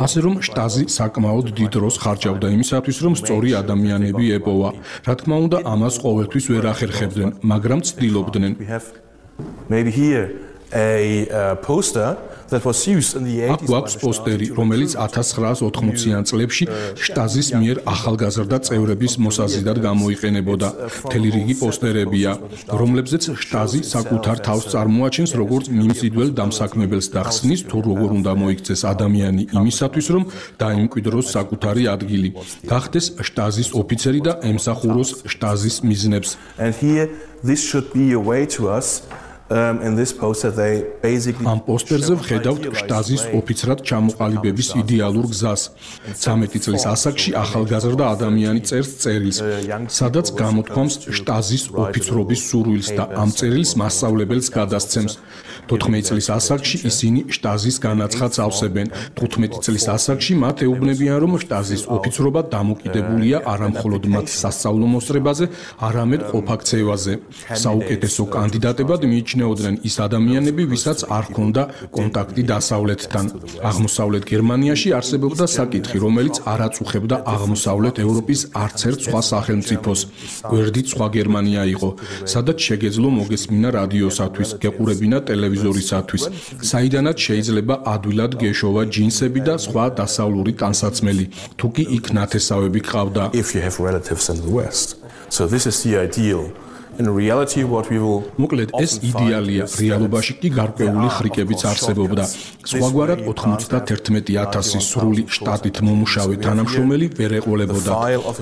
ასე რომ შტაზი საკმაოდ დიდ დროს ხარჯავდა იმისათვის, რომ სწორი ადამიანები ეპოვა. რა თქმა უნდა, ამას ყოველთვის ვერ ახერხებდნენ, მაგრამ ცდილობდნენ. Maybe here a poster that was used in the 80s. აქ გვაქვს პოსტერი, რომელიც 1980-იან წლებში შტაზის მიერ ახალგაზრდა წევრების მოსაზიდად გამოიყენებოდა. მთელი რიგი პოსტერებია, რომლებზეც შტაზი საკუთარ თავს წარმოაჩენს როგორც მიმზიდველ დამსაქმებელს და ხსნის, თუ როგორ უნდა მოიქცეს ადამიანი იმისათვის, რომ დაიმკვიდროს საკუთარი ადგილი, გახდეს შტაზის ოფიცერი და ემსახუროს შტაზის მიზნებს. And here this should be a way to us. In this poster they basically ამ პოსტერზე ვხედავთ შტაზის ოფიცრად ჩამოყალიბების იდეალურ გზას. 13 წლის ასაკში ახალგაზრდა ადამიანი წერს წერილს, სადაც გამოთქვამს შტაზის ოფიცრობის სურვილს და ამ წერილს მასწავლებელს გადასცემს. 14 წლის ასაკში ისინი შტაზის განაცხადს ავსებენ. 15 წლის ასაკში მათ ეუბნებიან, რომ შტაზის ოფიცრობა დამოკიდებულია არა მხოლოდ მათ სასწავლო მოსწრებაზე, არამედ ყოფაქცევაზე. საუკეთესო კანდიდატებად მიიჩნეოდნენ ის ადამიანები, ვისაც არ ჰქონდა კონტაქტი დასავლეთთან. აღმოსავლეთ გერმანიაში არსებობდა საკითხი, რომელიც არ აწუხებდა აღმოსავლეთ ევროპის არც ერთ სხვა სახელმწიფოს. გვერდით სხვა გერმანია იყო, სადაც შეგეძლო მოგესმინა რადიოსათვის, გეყურებინა ტელევიზორისათვის, საიდანაც შეიძლება ადვილად გეშოვა ჯინსები და სხვა დასავლური ტანსაცმელი, თუ კი იქ ნათესავები გყავდა. If you have relatives in the West. So this is the ideal. In reality what we will მოკლედ ეს იდეალია, რეალობაში კი გარკვეული ხრიკებიც არსებობდა. სხვაგვარად 91,000 სრული შტატით მომუშავე თანამშრომელი ვერ ეყოლებოდა.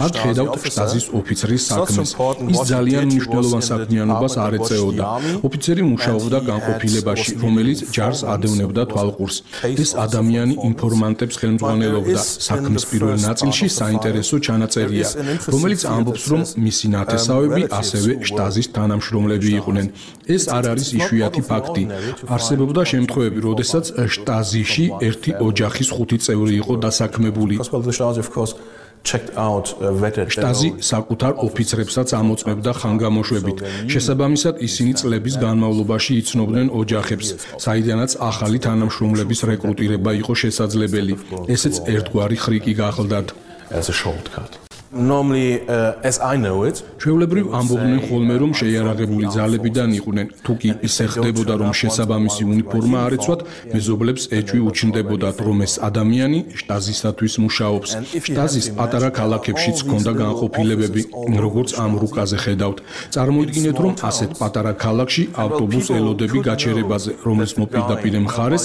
აქ ხედავთ შტაზის ოფიცრის საქმეს. ის ძალიან მნიშვნელოვან საქმიანობას არ ეწეოდა. ოფიცერი მუშაობდა განყოფილებაში, რომელიც ჯარს ადევნებდა თვალყურს. ეს ადამიანი ინფორმანტებს ხელმძღვანელობდა. საქმის პირველ ნაწილში საინტერესო ჩანაწერია, რომელიც ამბობს, რომ მისი ნათესავები ასევე შტაზის თანამშრომლები იყვნენ. ეს არ არის იშვიათი ფაქტი. არსებობდა შემთხვევები, როდესაც შტაზიში ერთი ოჯახის 5 წევრი იყო დასაქმებული. შტაზი საკუთარ ოფიცრებსაც ამოწმებდა ხანგამოშვებით. შესაბამისად, ისინი წლების განმავლობაში იცნობდნენ ოჯახებს, საიდანაც ახალი თანამშრომლების რეკრუტირება იყო შესაძლებელი. ესეც ერთგვარი ხრიკი გახლდათ. As a shortcut. Normally as I know it, ჩვეულებრივ ამბობდნენ ხოლმე, რომ შეიარაღებული ძალებიდან იყვნენ. თუ კი ისე ხდებოდა, რომ შესაბამისი უნიფორმა არ ეცვათ, მეზობლებს ეჭვი უჩნდებოდათ, რომ ეს ადამიანი შტაზისათვის მუშაობს. შტაზის პატარა ქალაქებშიც ჰქონდა განყოფილებები, როგორც ამ რუკაზე ხედავთ. წარმოიდგინეთ, რომ ასეთ პატარა ქალაქში ავტობუს ელოდები გაჩერებაზე, რომლის მოპირდაპირე მხარეს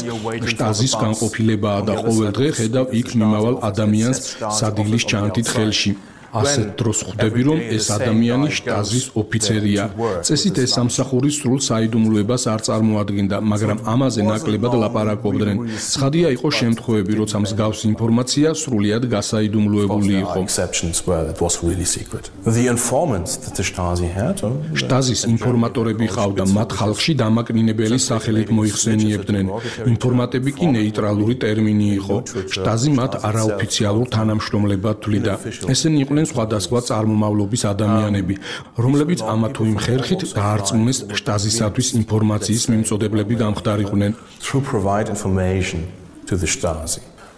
შტაზის განყოფილებაა და ყოველ დღე ხედავ იქ მიმავალ ადამიანს სადილის ჩანთით ხელში. ასეთ დროს ხვდები, რომ ეს ადამიანი შტაზის ოფიცერია. წესით ეს სამსახური სრულ საიდუმლოებას არ წარმოადგენდა, მაგრამ ამაზე ნაკლებად ლაპარაკობდნენ. ცხადია იყო შემთხვევები, როცა მსგავსი ინფორმაცია სრულიად გასაიდუმლოებული იყო. შტაზის ინფორმატორები ყავდა, მათ ხალხში დამაკნინებელი სახელით მოიხსენიებდნენ. ინფორმატები კი ნეიტრალური ტერმინი იყო. შტაზი მათ არაოფიციალურ თანამშრომლებად თვლიდა. ესენი იყვნენ სხვადასხვა წარმომავლობის ადამიანები, რომლებიც ამა თუ იმ ხერხით დაარწმუნეს შტაზისათვის ინფორმაციის მიმწოდებლები გამხდარიყვნენ.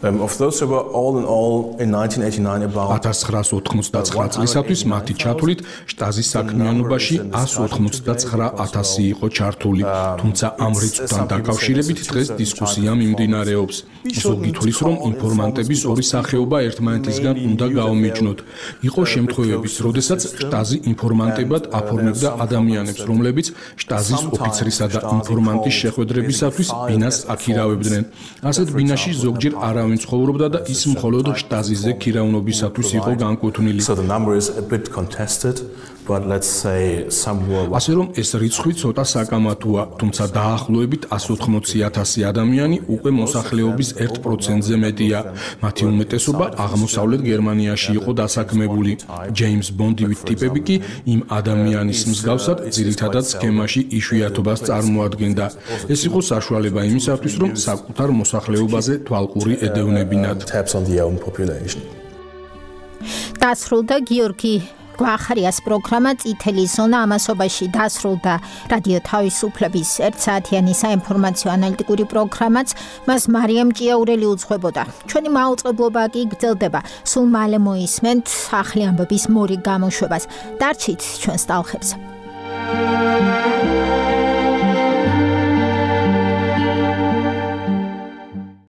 Of those who were all in all in 1989 about 1989 წლისათვის მათი ჩათვლით შტაზის საქმიანობაში 189,000 იყო ჩართული, თუმცა ამ რიცხვთან დაკავშირებით დღეს დისკუსია მიმდინარეობს. ზოგი თვლის, რომ ინფორმანტების ორი სახეობა ერთმანეთისგან უნდა გაომიჯნოთ. იყო შემთხვევებიც, როდესაც შტაზი ინფორმანტებად აფორმებდა ადამიანებს, რომლებიც შტაზის ოფიცრისა და ინფორმანტის შეხვედრებისათვის ბინას აქირავებდნენ. ასეთ ბინაში ზოგჯერ არა ვინ ცხოვრობდა და ის მხოლოდ შტაზიზე ქირავნობისათვის იყო განკუთვნილი. ასე რომ ეს რიცხვი ცოტა საკამათოა, თუმცა დაახლოებით 180,000 ადამიანი უკვე მოსახლეობის 1%-ზე მეტია. მათი უმეტესობა აღმოსავლეთ გერმანიაში იყო დასაქმებული. ჯეიმს ბონდივით ტიპები კი იმ ადამიანის მსგავსად ძირითადად სქემაში იშვიათობას წარმოადგენდა. ეს იყო საშუალება იმისათვის, რომ საკუთარ მოსახლეობაზე თვალყური ედევნებინათ. დასრულდა გიორგი გვახარიას პროგრამა წითელი ზონა, ამასობაში დასრულდა რადიო თავისუფლების 1 საათიანი საინფორმაციო ანალიტიკური პროგრამაც, მას მარიამ ჭიაურელი უძღვებოდა. ჩვენი მაუწყებლობა კი გრძელდება. სულ მალე მოისმენთ ახალი ამბების მორიგ გამოშვებას. დარჩით ჩვენს ტალხებზე.